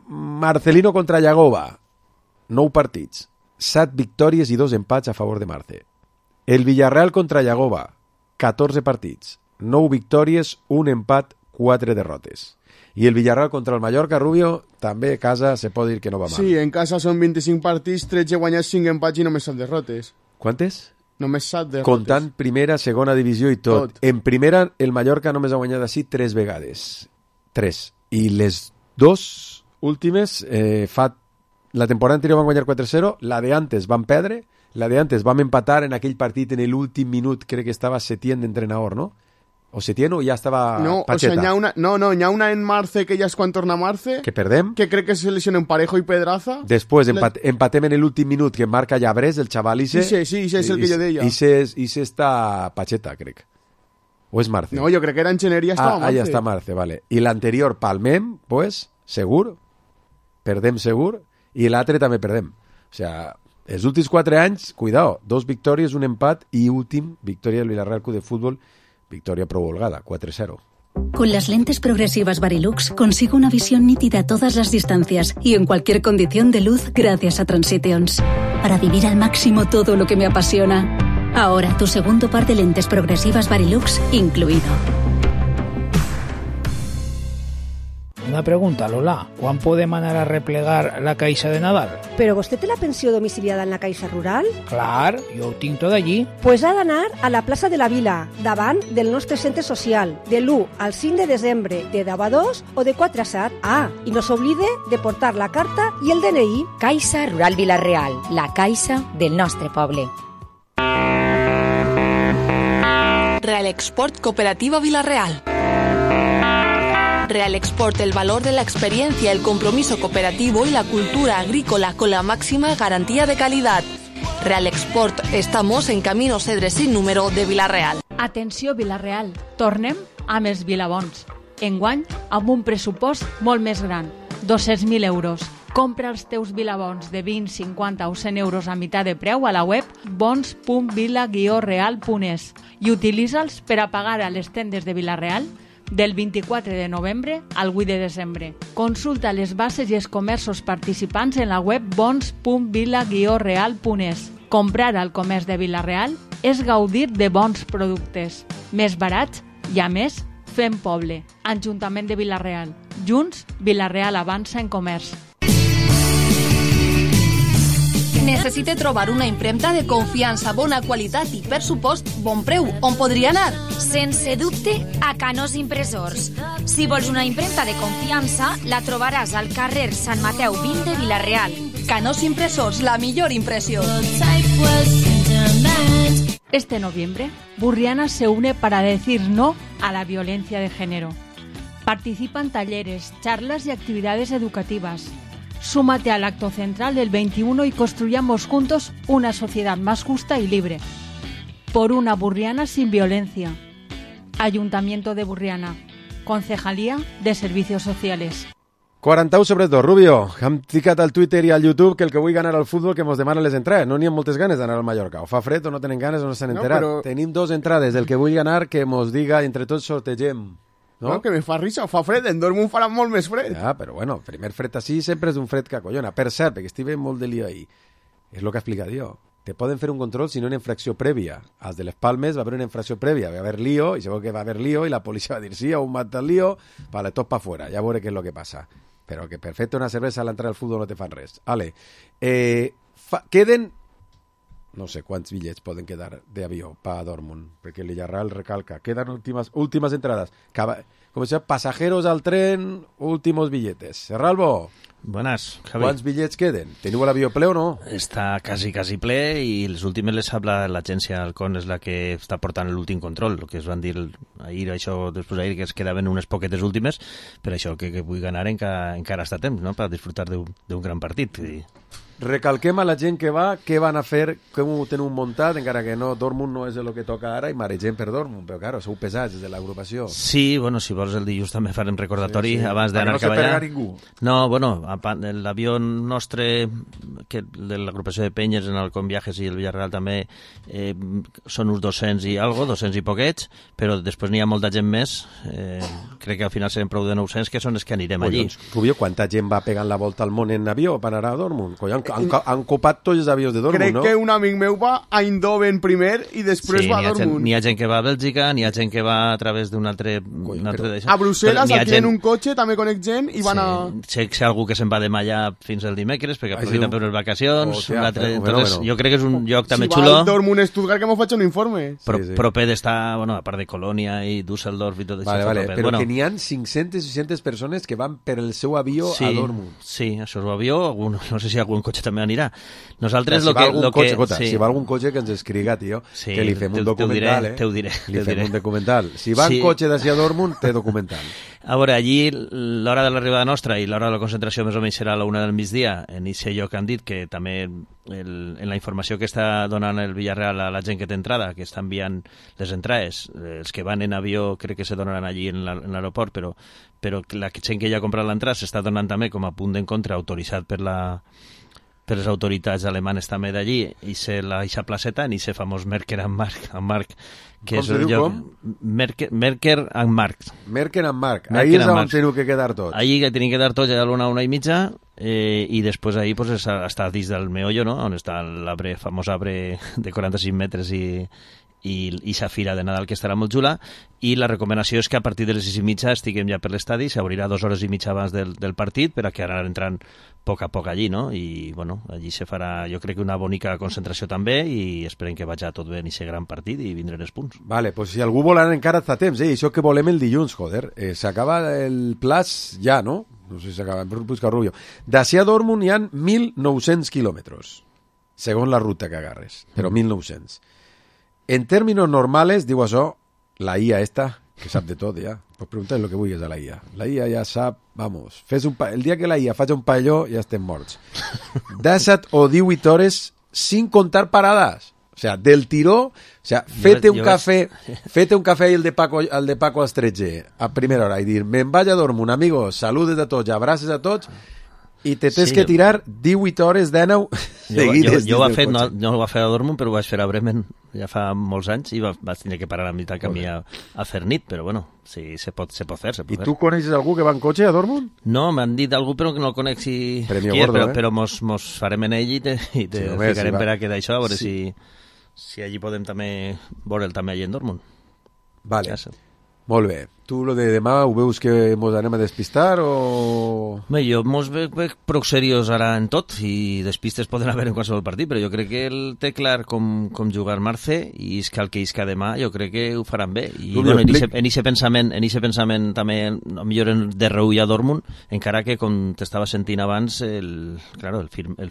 Marcelino contra Llagova, 9 partits, 7 victòries i 2 empats a favor de Marce. El Villarreal contra Llagova, 14 partits, 9 victòries, 1 empat, 4 derrotes. I el Villarreal contra el Mallorca, Rubio, també a casa se pot dir que no va mal. Sí, en casa són 25 partits, 13 guanyats, 5 empats i només 7 derrotes. Quantes? Només 7 derrotes. Comptant primera, segona divisió i tot. En primera, el Mallorca només ha guanyat així 3 vegades. 3. I les 2 últimes, la temporada anterior van guanyar 4-0, la de antes van perdre, la de antes vam empatar en aquell partit en l'últim minut, crec que estava Setién d'entrenador, no? O Setién o ja estava Pacheta? No, hi ha una en Marce que ja és quan torna Marce. Que perdem. Que crec que se lesionen Parejo i Pedraza. Després empatem en l'últim minut que marca Llabrés, el xaval Ise. Sí, és el que jo deia. Ise està Pacheta, crec. O és Marce? No, jo crec que era en Gener i ja estava Marce. Ja està Marce, vale. I l'anterior palmem, pues, segur. Perdem segur. I l'altre també perdem. O sea, els últims 4 anys, cuidao, 2 victòries, 1 empat i últim, victòria del Villarreal Club de Fútbol, victoria pro holgada, 4-0. Con las lentes progresivas Varilux consigo una visión nítida a todas las distancias y en cualquier condición de luz gracias a Transitions. Para vivir al máximo todo lo que me apasiona. Ahora tu segundo par de lentes progresivas Varilux incluido. Una pregunta, Lola. ¿Quan podem anar a replegar la caixa de Nadal? ¿Però vostè té la pensió domiciliada en la Caixa Rural? Clar, jo ho tinc tot allí. Pues ha d'anar a la plaça de la Vila, davant del nostre centre social, de l'1 al 5 de desembre, de 10 a 2 o de 4 a 7. Ah, i no s'oblide de portar la carta i el DNI. Caixa Rural Vila-real, la caixa del nostre poble. Real Export Cooperativa Vila-real. Real Export, el valor de la experiencia, el compromiso cooperativo y la cultura agrícola con la máxima garantía de calidad. Real Export, estamos en Camino Cedre sin número de Vila-real. Atenció Vila-real, tornem amb els Vilabons. Enguany, amb un pressupost molt més gran, 200.000 euros. Compra els teus Vilabons de 20, 50 o 100 euros a meitat de preu a la web bons.vila-real.es i utilitza'ls per a pagar a les tendes de Vila-real del 24 de novembre al 8 de desembre. Consulta les bases i els comerços participants en la web bons.vila-real.es. Comprar al comerç de Vila-real és gaudir de bons productes, més barats i, a més, fem poble. Ajuntament de Vila-real. Junts, Vila-real avança en comerç. Necessite trobar una impremta de confiança, bona qualitat i, per supost, bon preu. On podria anar? Sense dubte, a Canós Impressors. Si vols una impremta de confiança, la trobaràs al carrer Sant Mateu 20 de Vila-real. Canós Impressors, la millor impressió. Este noviembre, Burriana se une para decir no a la violencia de género. Participan talleres, charlas y actividades educativas. Súmate al acto central del 21 y construyamos juntos una sociedad más justa y libre. Por una Burriana sin violencia. Ayuntamiento de Burriana. Concejalía de Servicios Sociales. 41/2, Rubio, hem ficat al Twitter i al YouTube que el que vull ganar al futbol que mos demana les entrades. No n'hi ha moltes ganes d'anar al Mallorca. O fa fred o no tenen ganes o no s'han enterat. Però... Tenim 2 entrades. El que vull ganar que mos diga entre tots sortegem. No, que me fa risa, fa fred, en Dortmund farà molt més fred. Ja, però bueno, primer fred així sempre és un fred que acollona. Per cert, perquè estic veient molt de lío ahí. És el que ha explicat jo. Te poden fer un control si no hi ha infracció prèvia. Als de les Palmes va haver una infracció prèvia, va haver lío, i segur que va haver lío, i la policia va dir sí, un mata el lío, vale, tot pa fuera, ja veuré què és el que passa. Però que per fer-te una cervesa a l'entrada al futbol no te fan res. Ale, queden... No sé quants bitllets poden quedar d'avió per a Dortmund, perquè el Villarreal recalca. Queden últimas entradas. Com si pasajeros al tren, últimos billetes. Serralbo. Buenas, Javi. ¿Cuántos billets queden? ¿Teniu l'avió ple o no? Està quasi ple i les últimes les habla l'agència Halcón, és la que està portant l'últim control, el que es van dir ahir, això, després d'ahir, que es quedaven unes poquetes últimes, per això que vull ganar encara està a temps, no?, per disfrutar d'un gran partit. Recalquem a la gent que va què van a fer, com ho tenen muntat, encara que no, Dortmund no és el que toca ara i maregem per Dortmund, però claro, sou pesats des de l'agrupació. Sí, bueno, si vols el dilluns també farem recordatori abans d'anar cap allà. No se ningú. No, bueno, l'avió nostre, que de l'agrupació de Penyes en el Com Viajes i el Villarreal també, són uns 200 i algo, 200 i poquets, però després n'hi ha molta gent més, crec que al final serem prou de 900, que són els que anirem allí. Rubio, quanta gent va pegant la volta al món en avió per anar a Dortmund? Han copat tots els avions de Dortmund, no? Crec que un amic meu va a Eindhoven primer i després va a Dortmund. N'hi ha gent que va a Bèlgica, n'hi ha gent que va a través d'un altre... A Brussel·les, aquí en un cotxe, també conec gent i van a... Sé algú que se'n va de allà fins al dimecres, perquè aprofita per les vacacions. Jo crec que és un lloc també xulo. Si va al Dortmund-Stuttgart, que m'ho faig un informe. Proper d'estar, bueno, a part de Colònia i Düsseldorf i tot això. Vale, però que n'hi ha 500-600 persones que van per el seu avió a Dortmund. Sí, això és l'avió, no sé si algun cotxe també anirà. Nosaltres si va algun cotxe que ens escriga, tio, que li fem un documental, Te ho diré. Li fem un documental. Si va en cotxe d'ací a Dortmund, té documental. A veure, allí l'hora de l'arribada nostra i l'hora de la concentració més o menys serà a la 1 del migdia, en aquest lloc han dit que també en la informació que està donant el Villarreal a la gent que té entrada, que està enviant les entrades, els que van en avió crec que se donaran allí en l'aeroport, però la gent que ja ha comprat l'entrada s'està donant també com a punt d'encontre autoritzat per les autoritats alemanes també d'allí, i ser la placeta en aquest famós Merker and Mark, que com és el lloc... Merker and Mark. Merker and Mark. Ahí és on teniu que quedar tots. Ahí que tenim que quedar tots, allà a l'una i mitja, i després ahí pues, està dins del meollo, no?, on està l'arbre, famós arbre de 45 metres i sa fira de Nadal, que estarà molt xula, i la recomanació és que a partir de les 6:30 estiguem ja per l'estadi, s'obrirà 2 hores i mitja abans del partit per a que anar entrant a poc allí, no? I bueno, allí se farà, jo crec que una bonica concentració també, i esperem que vagi tot bé en aquest gran partit i vindrem els punts. Vale, pues si algú vol anar encara està a temps, això que volem el dilluns, joder, s'acaba el plaç ja, no? No sé si s'acaba, em busca Rubio. D'ací a Dortmund hi ha 1.900 quilòmetres, segons la ruta que agarres, però 1.900. En términos normales, digo això, la IA esta, que sap de tot ja, pues preguntar lo que vulguis a la IA. La IA ja sap, vamos, el dia que la IA faci un palló ja estem morts. 17 o 18 hores sin contar paradas. O sea, del tiró, o sea, fete un café ahí el de Paco als 13 a primera hora i dir, me'n vaig a Dortmund, amigos, saludes a tots, abraces a tots, i te tens que tirar 18 hores d'anau seguides. Jo no ho va fer a Dortmund, però ho vaig fer a Bremen ja fa molts anys i vaig tenir que parar a mitjà camí a fer nit, però bueno, sí, se pot fer. I tu coneixes algú que va en cotxe a Dortmund? No, m'han dit algú, però que no el conec si qui és, però mos farem en ell i te ficarem per a quedar això, a veure si allí podem també veure'l també allà en Dortmund. Vale, molt bé. Tu lo de demà ho veus que mos anem a despistar o...? Bé, jo mos veig prou seriós ara en tot i despistes poden haver en qualsevol partit, però jo crec que ell té clar com jugar Marce i és que el que isca demà jo crec que ho faran bé. I bueno, en aquest pensament també millor de reull a Dortmund, encara que com t'estava sentint abans el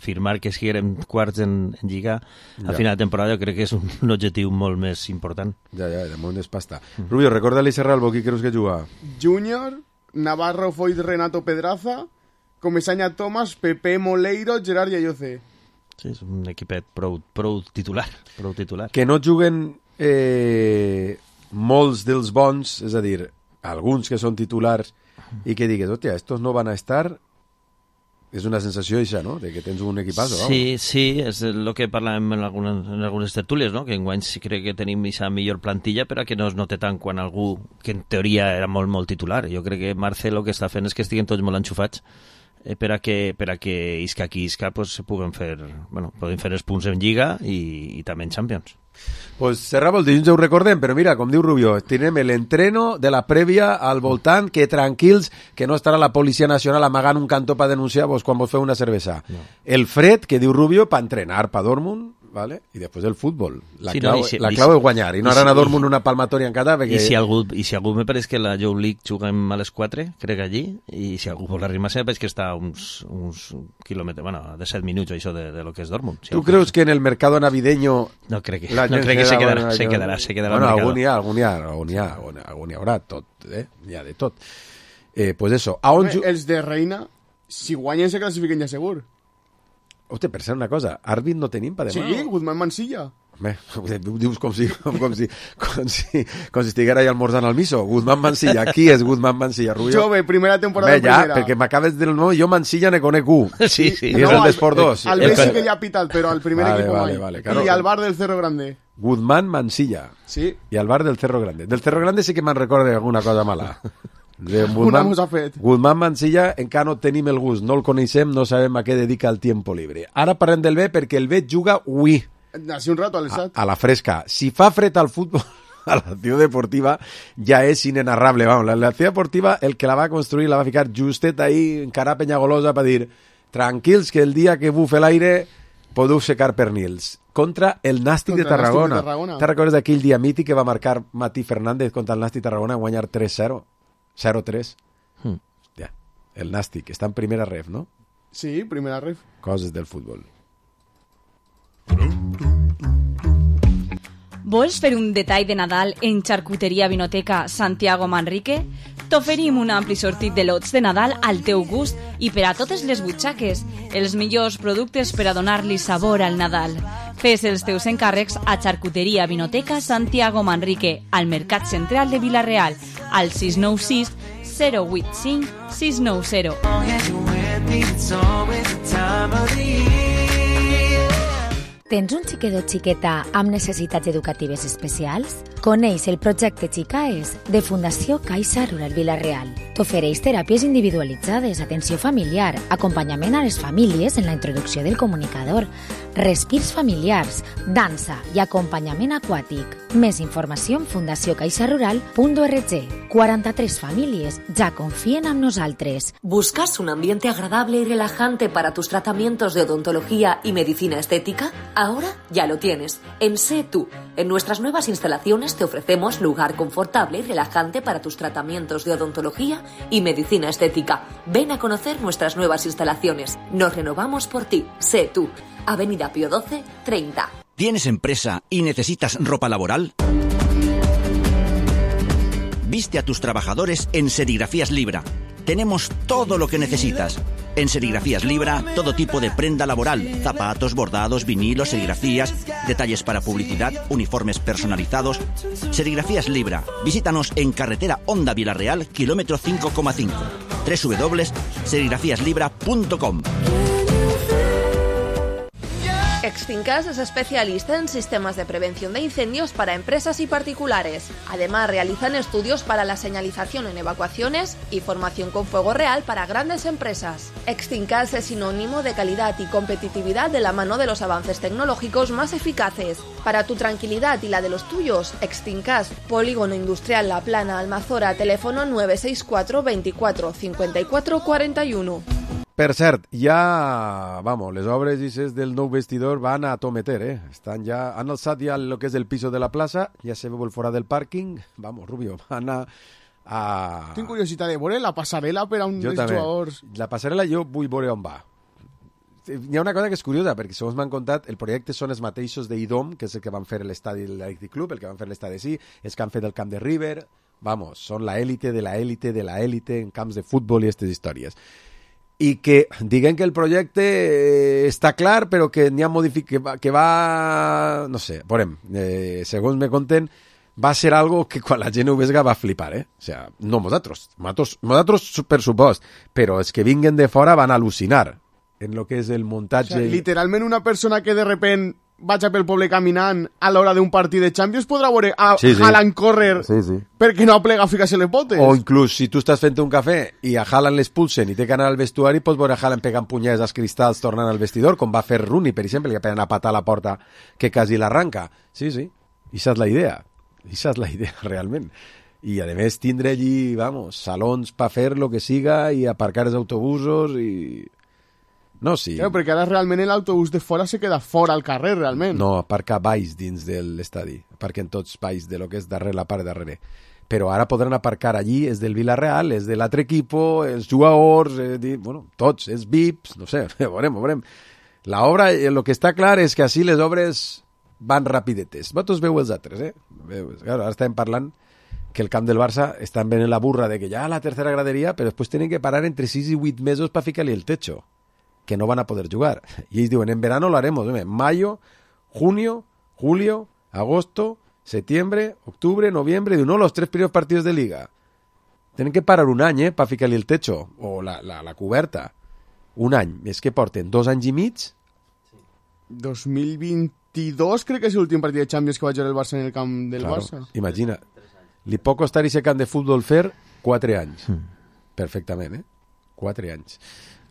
firmar que siguem quarts en Lliga a final de temporada jo crec que és un objectiu molt més important. Ja, de moment és pasta. Rubio, recorda-li Serralbo, qui creus que juga? Júnior, Navarro, Foyt, Renato, Pedraza, Comesaña, Tomás, Pepe, Moleiro, Gerard i Ayoce. Sí, és un equipet prou titular. Que no juguen molts dels bons, és a dir, alguns que són titulars i que digues, hòstia, estos no van a estar... És una sensació això, no?, de que tens un equipazo. Sí, sí, és el que parlàvem en algunes tertúlies, no?, que enguany sí crec que tenim aquesta millor plantilla, però que no es note tant quan algú que en teoria era molt titular. Jo crec que Marcelo el que està fent és que estiguen tots molt enxufats per a que isca qui isca pues, poden fer els punts en Lliga i també en Champions. Pues cerrava el dilluns, ho recordem, però mira, com diu Rubio, tenim l'entreno de la prèvia al voltant, que tranquils, que no estarà la Policia Nacional amagant un cantó per denunciar vos quan vos feu una cervesa. No. El fred, que diu Rubio, per entrenar per Dortmund, ¿vale? I després el futbol. La clau és guanyar, i no ara a Dortmund una palmatòria en cada... Perquè... I si algú me pareix que la Joe League juguem a les 4, crec allí, i si algú vol arrimar-se, veig que està uns quilòmetres, de 7 minuts, això de lo que és Dortmund. Si ¿Tú creus que en el mercado navideño... No crec que se quedarà bueno, algun hi haurà tot, hi ha de tot. Pues eso. Els de Reina, si guanyen se classifiquen ja segur. Hòstia, per ser una cosa, àrbit no tenim per demà. Sí, Guzmán Mansilla. Home, dius com si estiguera ahí almorzant al miso. Guzmán Mansilla, qui és Guzmán Mansilla? Rubio? Jove, primera temporada primera. Perquè m'acabes del nom, jo Mansilla ne conec un. Sí. I és el d'Esport 2. Al Messi que ja ha pitat, però al primer equipo vale, claro. I al bar del Cerro Grande. Guzmán Mansilla. Sí. I al bar del Cerro Grande. Del Cerro Grande sí que me'n recorda alguna cosa mala. Una mos ha fet. Guzmán Mansilla encara no tenim el gust, no el coneixem, no sabem a què dedica el tiempo libre. Ara parlem del B perquè el B juga avui. Hace un rato al estat. A la fresca. Si fa fred al futbol, a la Ciutat Deportiva ja és inenarrable. Vamos, la Ciutat Deportiva, el que la va construir, la va ficar justet ahí, encara Penyagolosa, per dir, tranquils, que el dia que bufe l'aire podeu secar pernils. Contra el Nàstic de Tarragona. Te'n recordes d'aquell dia mític que va marcar Mati Fernández contra el Nàstic de Tarragona a guanyar 3-0? 0-3. Ja. El Nàstic està en primera ref, no? Sí, primera ref. Coses del futbol. Vols fer un detall de Nadal en Xarcuteria Vinoteca Santiago Manrique? T'oferim un ampli sortit de lots de Nadal al teu gust i per a totes les butxaques, els millors productes per a donar-li sabor al Nadal. Fes els teus encàrrecs a Xarcuteria Vinoteca Santiago Manrique, al Mercat Central de Vila-real, al 696 085 690. Tens un xiquet o xiqueta amb necessitats educatives especials? Coneix el projecte Xicaes de Fundació Caixa Rural Vila-real. T'ofereix teràpies individualitzades, atenció familiar, acompanyament a les famílies en la introducció del comunicador, respirs familiars, dansa i acompanyament aquàtic. Més informació en fundaciocaixarural.org. 43 famílies ja confien en nosaltres. ¿Buscas un ambiente agradable y relajante para tus tratamientos de odontología y medicina estética? Ahora ya lo tienes. En Sé Tú. En nuestras nuevas instalaciones te ofrecemos lugar confortable y relajante para tus tratamientos de odontología y medicina estética. Ven a conocer nuestras nuevas instalaciones. Nos renovamos por ti. Sé Tú. Avenida Pío 12, 30. ¿Tienes empresa y necesitas ropa laboral? Viste a tus trabajadores en Serigrafías Libra. Tenemos todo lo que necesitas. En Serigrafías Libra, todo tipo de prenda laboral, zapatos, bordados, vinilos, serigrafías, detalles para publicidad, uniformes personalizados. Serigrafías Libra. Visítanos en carretera Honda Vila-real, kilómetro 5,5. www.serigrafiaslibra.com. Extincas es especialista en sistemas de prevención de incendios para empresas y particulares. Además, realizan estudios para la señalización en evacuaciones y formación con fuego real para grandes empresas. Extincas es sinónimo de calidad y competitividad de la mano de los avances tecnológicos más eficaces. Para tu tranquilidad y la de los tuyos, Extincas, Polígono Industrial La Plana, Almazora, teléfono 964 24 54 41. Per cert, ja, vamos, les obres del nou vestidor van a tometer, Estan ja, han alçat ja el que és el piso de la plaça, ja se veu el fora del pàrquing, vamos, Rubio, van a... Tinc curiositat de veure la passarel·la per a un dels jugadors. La passarel·la jo vull veure on va. Hi ha una cosa que és curiosa, perquè segons m'han contat, el projecte són els mateixos d'Idom, que és el que van fer l'estadi de l'Athletic Club, el que van fer l'estadi sí, els que han fet el camp de River, vamos, són la élite de la élite de la élite en camps de futbol i aquestes històries. I que diguen que el projecte està clar, però que n'hi ha que va... No sé, veurem. Segons me conten, va ser algo que quan la gent ho vesga va flipar, O sea, no nosaltres per supost, però els que vinguen de fora van al·lucinar en lo que és el muntatge. O sea, literalment una persona que de repent vaig pel poble caminant a l'hora d'un partit de Champions podrà veure Haaland córrer perquè no aplega a ficar-se les botes. O inclús, si tu estàs fent un cafè i a Haaland l'expulsen i té que anar al vestuari, pots veure Haaland pegant punyades als cristalls tornant al vestidor, com va fer Rooney, per exemple, que pegant a patar a la porta que quasi l'arranca. Sí. Ixa és la idea. Ixa és la idea, realment. I, a més, tindre allí, salons per fer lo que siga i aparcar els autobusos i... No, sí. Claro, perquè ara realment l'autobús de fora se queda fora al carrer, realment. No, aparca baix dins de l'estadi. Aparquen tots baix de lo que és darrere, la part darrere. Però ara podran aparcar allí, és del Villarreal, és de l'altre equipo, els jugadors, tots, els VIPs, no sé, veurem. L'obra, el que està clar és que així les obres van rapidetes. Vosaltres veu els altres, Claro, ara estem parlant que el camp del Barça estan venent la burra de que ja la tercera graderia, però després tenen que parar entre 6 i 8 mesos per ficar-li el techo, que no van a poder jugar. Y ellos diuen, en verano lo haremos. Mayo, junio, julio, agosto, septiembre, octubre, noviembre. No, los 3 primeros partidos de Liga. Tienen que parar un any, para ficar-li el techo, o la coberta. Un any. És que porten 2 anys i mig. 2022 crec que és l'últim partit de Champions que va jugar el Barça en el camp del Barça. Imagina. Li pot costar ese camp de futbol fer 4 anys. Perfectament, 4 anys.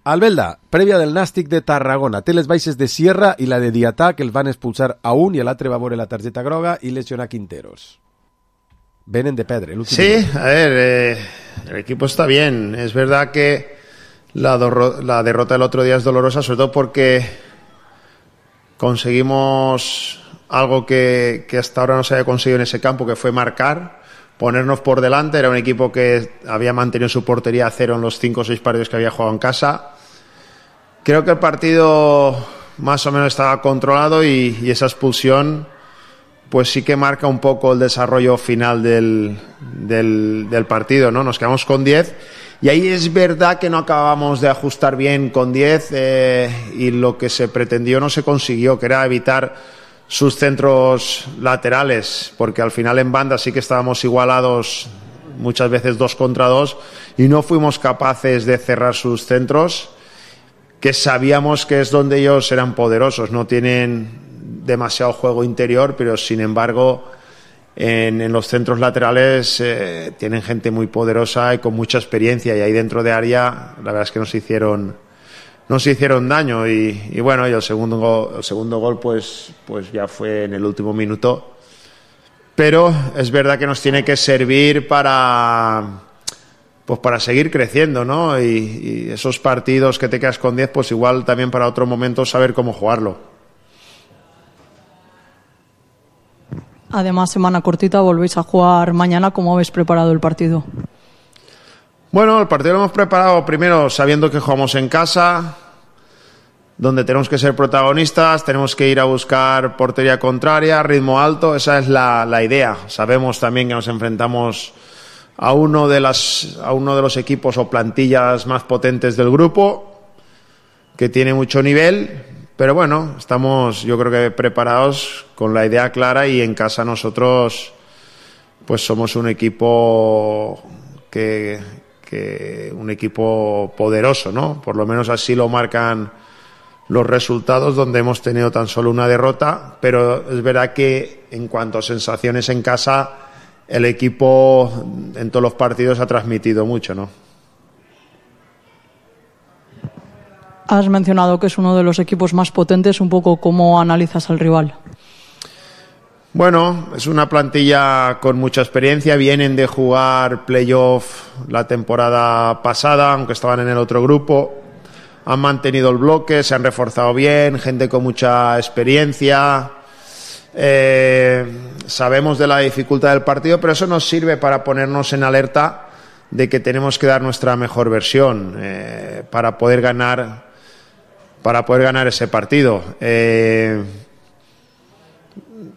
Albelda, prèvia del Nàstic de Tarragona, té les baixes de Sierra i la de Diatà, que el van expulsar a un i l'altre va veure la targeta groga i lesionar Quinteros. Venen de pedre. Sí, a ver, el equipo está bien. Es verdad que la derrota del otro día es dolorosa, sobre todo porque conseguimos algo que hasta ahora no se había conseguido en ese campo, que fue marcar, ponernos por delante. Era un equipo que había mantenido su portería a 0 en los 5 o 6 partidos que había jugado en casa. Creo que el partido más o menos estaba controlado y esa expulsión pues sí que marca un poco el desarrollo final del partido, ¿no? Nos quedamos con 10 y ahí es verdad que no acabamos de ajustar bien con 10 y lo que se pretendió no se consiguió, que era evitar sus centros laterales, porque al final en banda sí que estábamos igualados muchas veces 2 contra 2 y no fuimos capaces de cerrar sus centros, que sabíamos que es donde ellos eran poderosos. No tienen demasiado juego interior, pero sin embargo en los centros laterales tienen gente muy poderosa y con mucha experiencia, y ahí dentro de área la verdad es que nos hicieron daño y bueno, y el segundo gol pues ya fue en el último minuto, pero es verdad que nos tiene que servir para seguir creciendo, ¿no? Y esos partidos que te quedas con 10, pues igual también para otro momento saber cómo jugarlo. Además, semana cortita, volvéis a jugar mañana. ¿Cómo habéis preparado el partido? Bueno, el partido lo hemos preparado primero sabiendo que jugamos en casa, donde tenemos que ser protagonistas, tenemos que ir a buscar portería contraria, ritmo alto. Esa es la idea. Sabemos también que nos enfrentamos a uno de los equipos o plantillas más potentes del grupo, que tiene mucho nivel, pero bueno, estamos yo creo que preparados con la idea clara, y en casa nosotros pues somos un equipo un equipo poderoso, ¿no? Por lo menos así lo marcan los resultados, donde hemos tenido tan solo una derrota, pero es verdad que en cuanto a sensaciones en casa, el equipo en todos los partidos ha transmitido mucho, ¿no? Has mencionado que es uno de los equipos más potentes. Un poco, ¿cómo analizas al rival? Bueno, es una plantilla con mucha experiencia. Vienen de jugar playoff la temporada pasada, aunque estaban en el otro grupo. Han mantenido el bloque, se han reforzado bien, gente con mucha experiencia. Sabemos de la dificultad del partido, pero eso nos sirve para ponernos en alerta de que tenemos que dar nuestra mejor versión para poder ganar ese partido.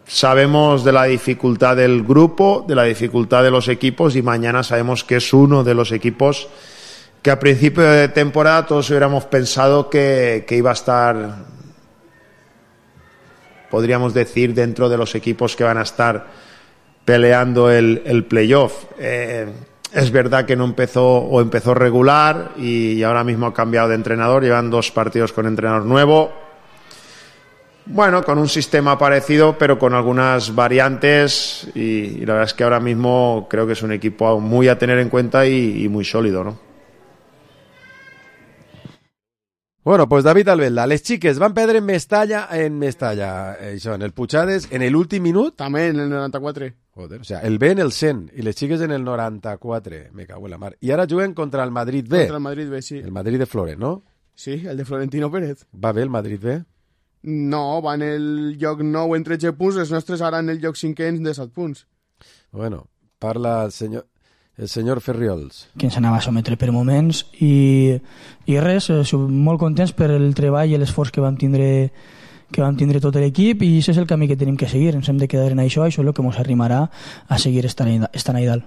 Sabemos de la dificultad del grupo, de la dificultad de los equipos, y mañana sabemos que es uno de los equipos que a principio de temporada todos hubiéramos pensado que iba a estar, podríamos decir, dentro de los equipos que van a estar peleando el playoff. Es verdad que no empezó regular y ahora mismo ha cambiado de entrenador, llevan 2 partidos con entrenador nuevo. Bueno, con un sistema parecido, pero con algunas variantes y la verdad es que ahora mismo creo que es un equipo muy a tener en cuenta y muy sólido, ¿no? Bueno, pues David Albelda, les xiques van perdre en Mestalla, això, en el Puigades, en l'últim minut. També en el 94. Joder, o sea, el B en el 100 i les xiques en el 94. Me cago en la mar. I ara juguen contra el Madrid B. Contra el Madrid B, sí. El Madrid de Flores, no? Sí, el de Florentino Pérez. Va bé el Madrid B? No, va en el lloc 9 en 13 punts, els nostres ara en el lloc 5è de 7 punts. Bueno, parla el senyor Ferriols. Que ens anava a sometre per moments i res, molt contents per el treball i l'esforç que vam tindre tot l'equip i això és el camí que tenim que seguir, ens hem de quedar en això és el que ens arrimarà a seguir estant ahí dalt.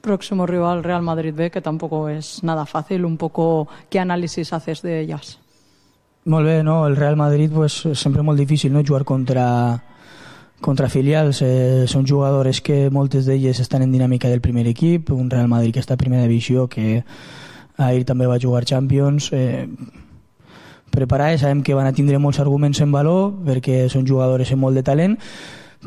Próximo rival Real Madrid B, que tampoco es nada fácil, un poco ¿qué análisis haces de ellas? Molt bé, no? El Real Madrid pues, sempre molt difícil, no? Jugar contra filials, són jugadores que moltes d'elles estan en dinàmica del primer equip, un Real Madrid que està a primera divisió, que ahir també va jugar Champions, preparades, sabem que van a tindre molts arguments en valor perquè són jugadores amb molt de talent,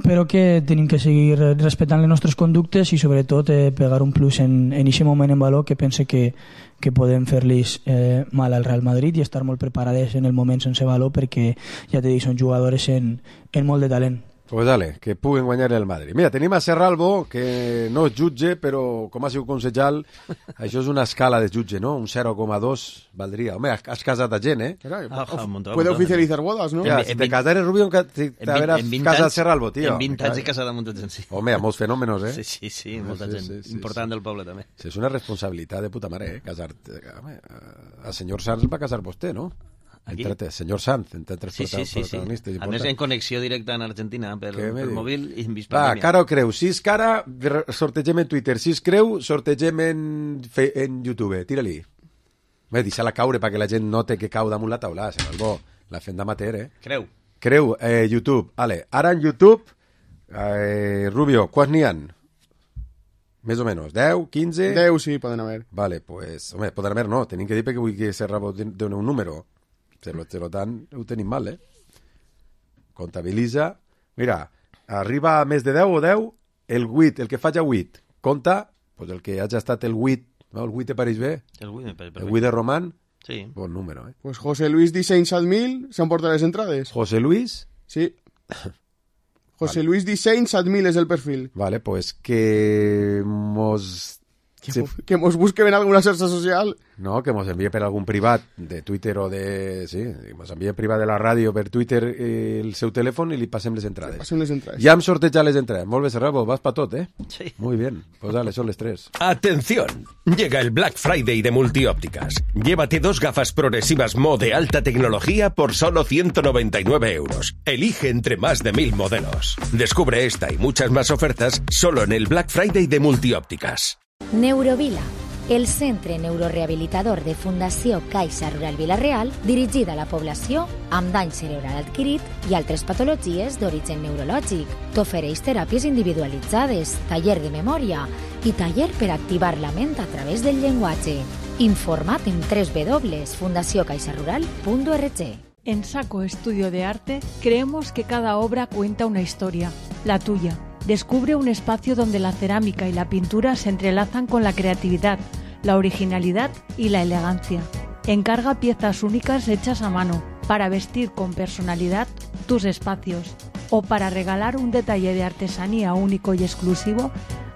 però que tenim que seguir respectant les nostres conductes i sobretot pegar un plus en aquest moment en valor que pense que podem fer-los mal al Real Madrid i estar molt preparades en el moment sense valor perquè, ja t'he dit, són jugadores en molt de talent. Pues dale, que puguen guanyar el Madrid. Mira, tenim a Serralbo, que no és jutge, però com ha sigut consellal, això és una escala de jutge, ¿no? Un 0,2 valdria. Home, has casat a gent, ¿eh? Puede oficializar bodas, ¿no? Ja, si te casares, Rubio, t'haveràs casat Serralbo, tío. En 20 anys he casat a molta gent, sí. Home, a molts fenòmenos, eh? Sí, molta gent. Important del poble, també. Sí, és una responsabilitat de puta mare, casar-te. El senyor Sanz va casar vostè, no? Aquí? Senyor Sanz, entre tres protagonistes. A més, en connexió directa en Argentina per mòbil i en Bispalínia. Cara o creu? Si és cara, sortegem en Twitter. Si és creu, sortegem en YouTube. Tira-li. Deixa-la caure perquè la gent note que cau damunt la taula. La fem d'amateur, eh? Creu, YouTube. Vale. Ara en YouTube, Rubio, quants n'hi ha? Més o menys, 10, 15? 10, sí, poden haver. Vale, pues, home, poden haver no, tenim que dir perquè vull que Serrabo doni un número. Per tant, ho tenim mal, eh? Comptabilitza. Mira, arriba a més de 10 o 10, el 8, el que faig a 8. Compta, pues el que hagi estat el 8, no? El 8 te pareix bé? El 8 me pareix perfecte. El 8 de Román? Sí. Bon número, eh? Pues José Luis Disseny 7.000 s'han portat les entrades. José Luis? Sí. José Luis Disseny 7.000 és el perfil. Vale, pues que mos... Que mos busquen en alguna xarxa social. No, que mos envie per algun privat de Twitter o de... Sí, mos envie privat de la ràdio per Twitter el seu telèfon i li passem les entrades. Passem les entrades. Ja hem sortejat les entrades. Molt bé, Serrabo, vas pa tot, eh? Sí. Muy bien. Pues dale, son les 3. Atención, llega el Black Friday de Multiópticas. Llévate 2 gafas progresivas Mo de alta tecnología por solo 199 euros. Elige entre más de 1000 modelos. Descubre esta y muchas más ofertas solo en el Black Friday de Multiópticas. Neurovila, el centre neurorehabilitador de Fundació Caixa Rural Vila-real, dirigida a la població amb dany cerebral adquirit i altres patologies d'origen neurològic. T'ofereix teràpies individualitzades, taller de memòria i taller per activar la ment a través del llenguatge. Informa't en www.fundaciocaixarural.org. En Saco Estudio de Arte creemos que cada obra cuenta una historia, la tuya. Descubre un espacio donde la cerámica y la pintura se entrelazan con la creatividad, la originalidad y la elegancia. Encarga piezas únicas hechas a mano para vestir con personalidad tus espacios o para regalar un detalle de artesanía único y exclusivo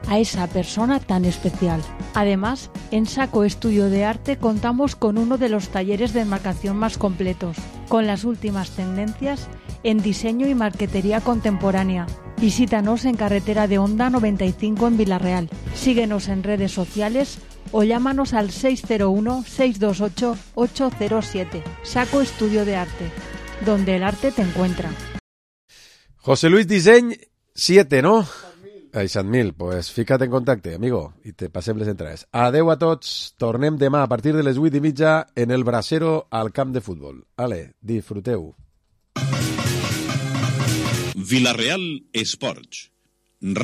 a esa persona tan especial. Además, en Saco Estudio de Arte contamos con uno de los talleres de enmarcación más completos, con las últimas tendencias en diseño y marquetería contemporánea. Visítanos en Carretera de Honda 95 en Vila-real. Síguenos en redes sociales o llámanos al 601-628-807. Saco Estudio de Arte, donde el arte te encuentra. José Luis Disseny 7, ¿no? 7.000, pues fica't en contacte, amigo, i te passem les entrades. Adeu a tots, tornem demà a partir de les 8:30 en el Brasero al camp de futbol. Ale, disfruteu. Vila-real Esports.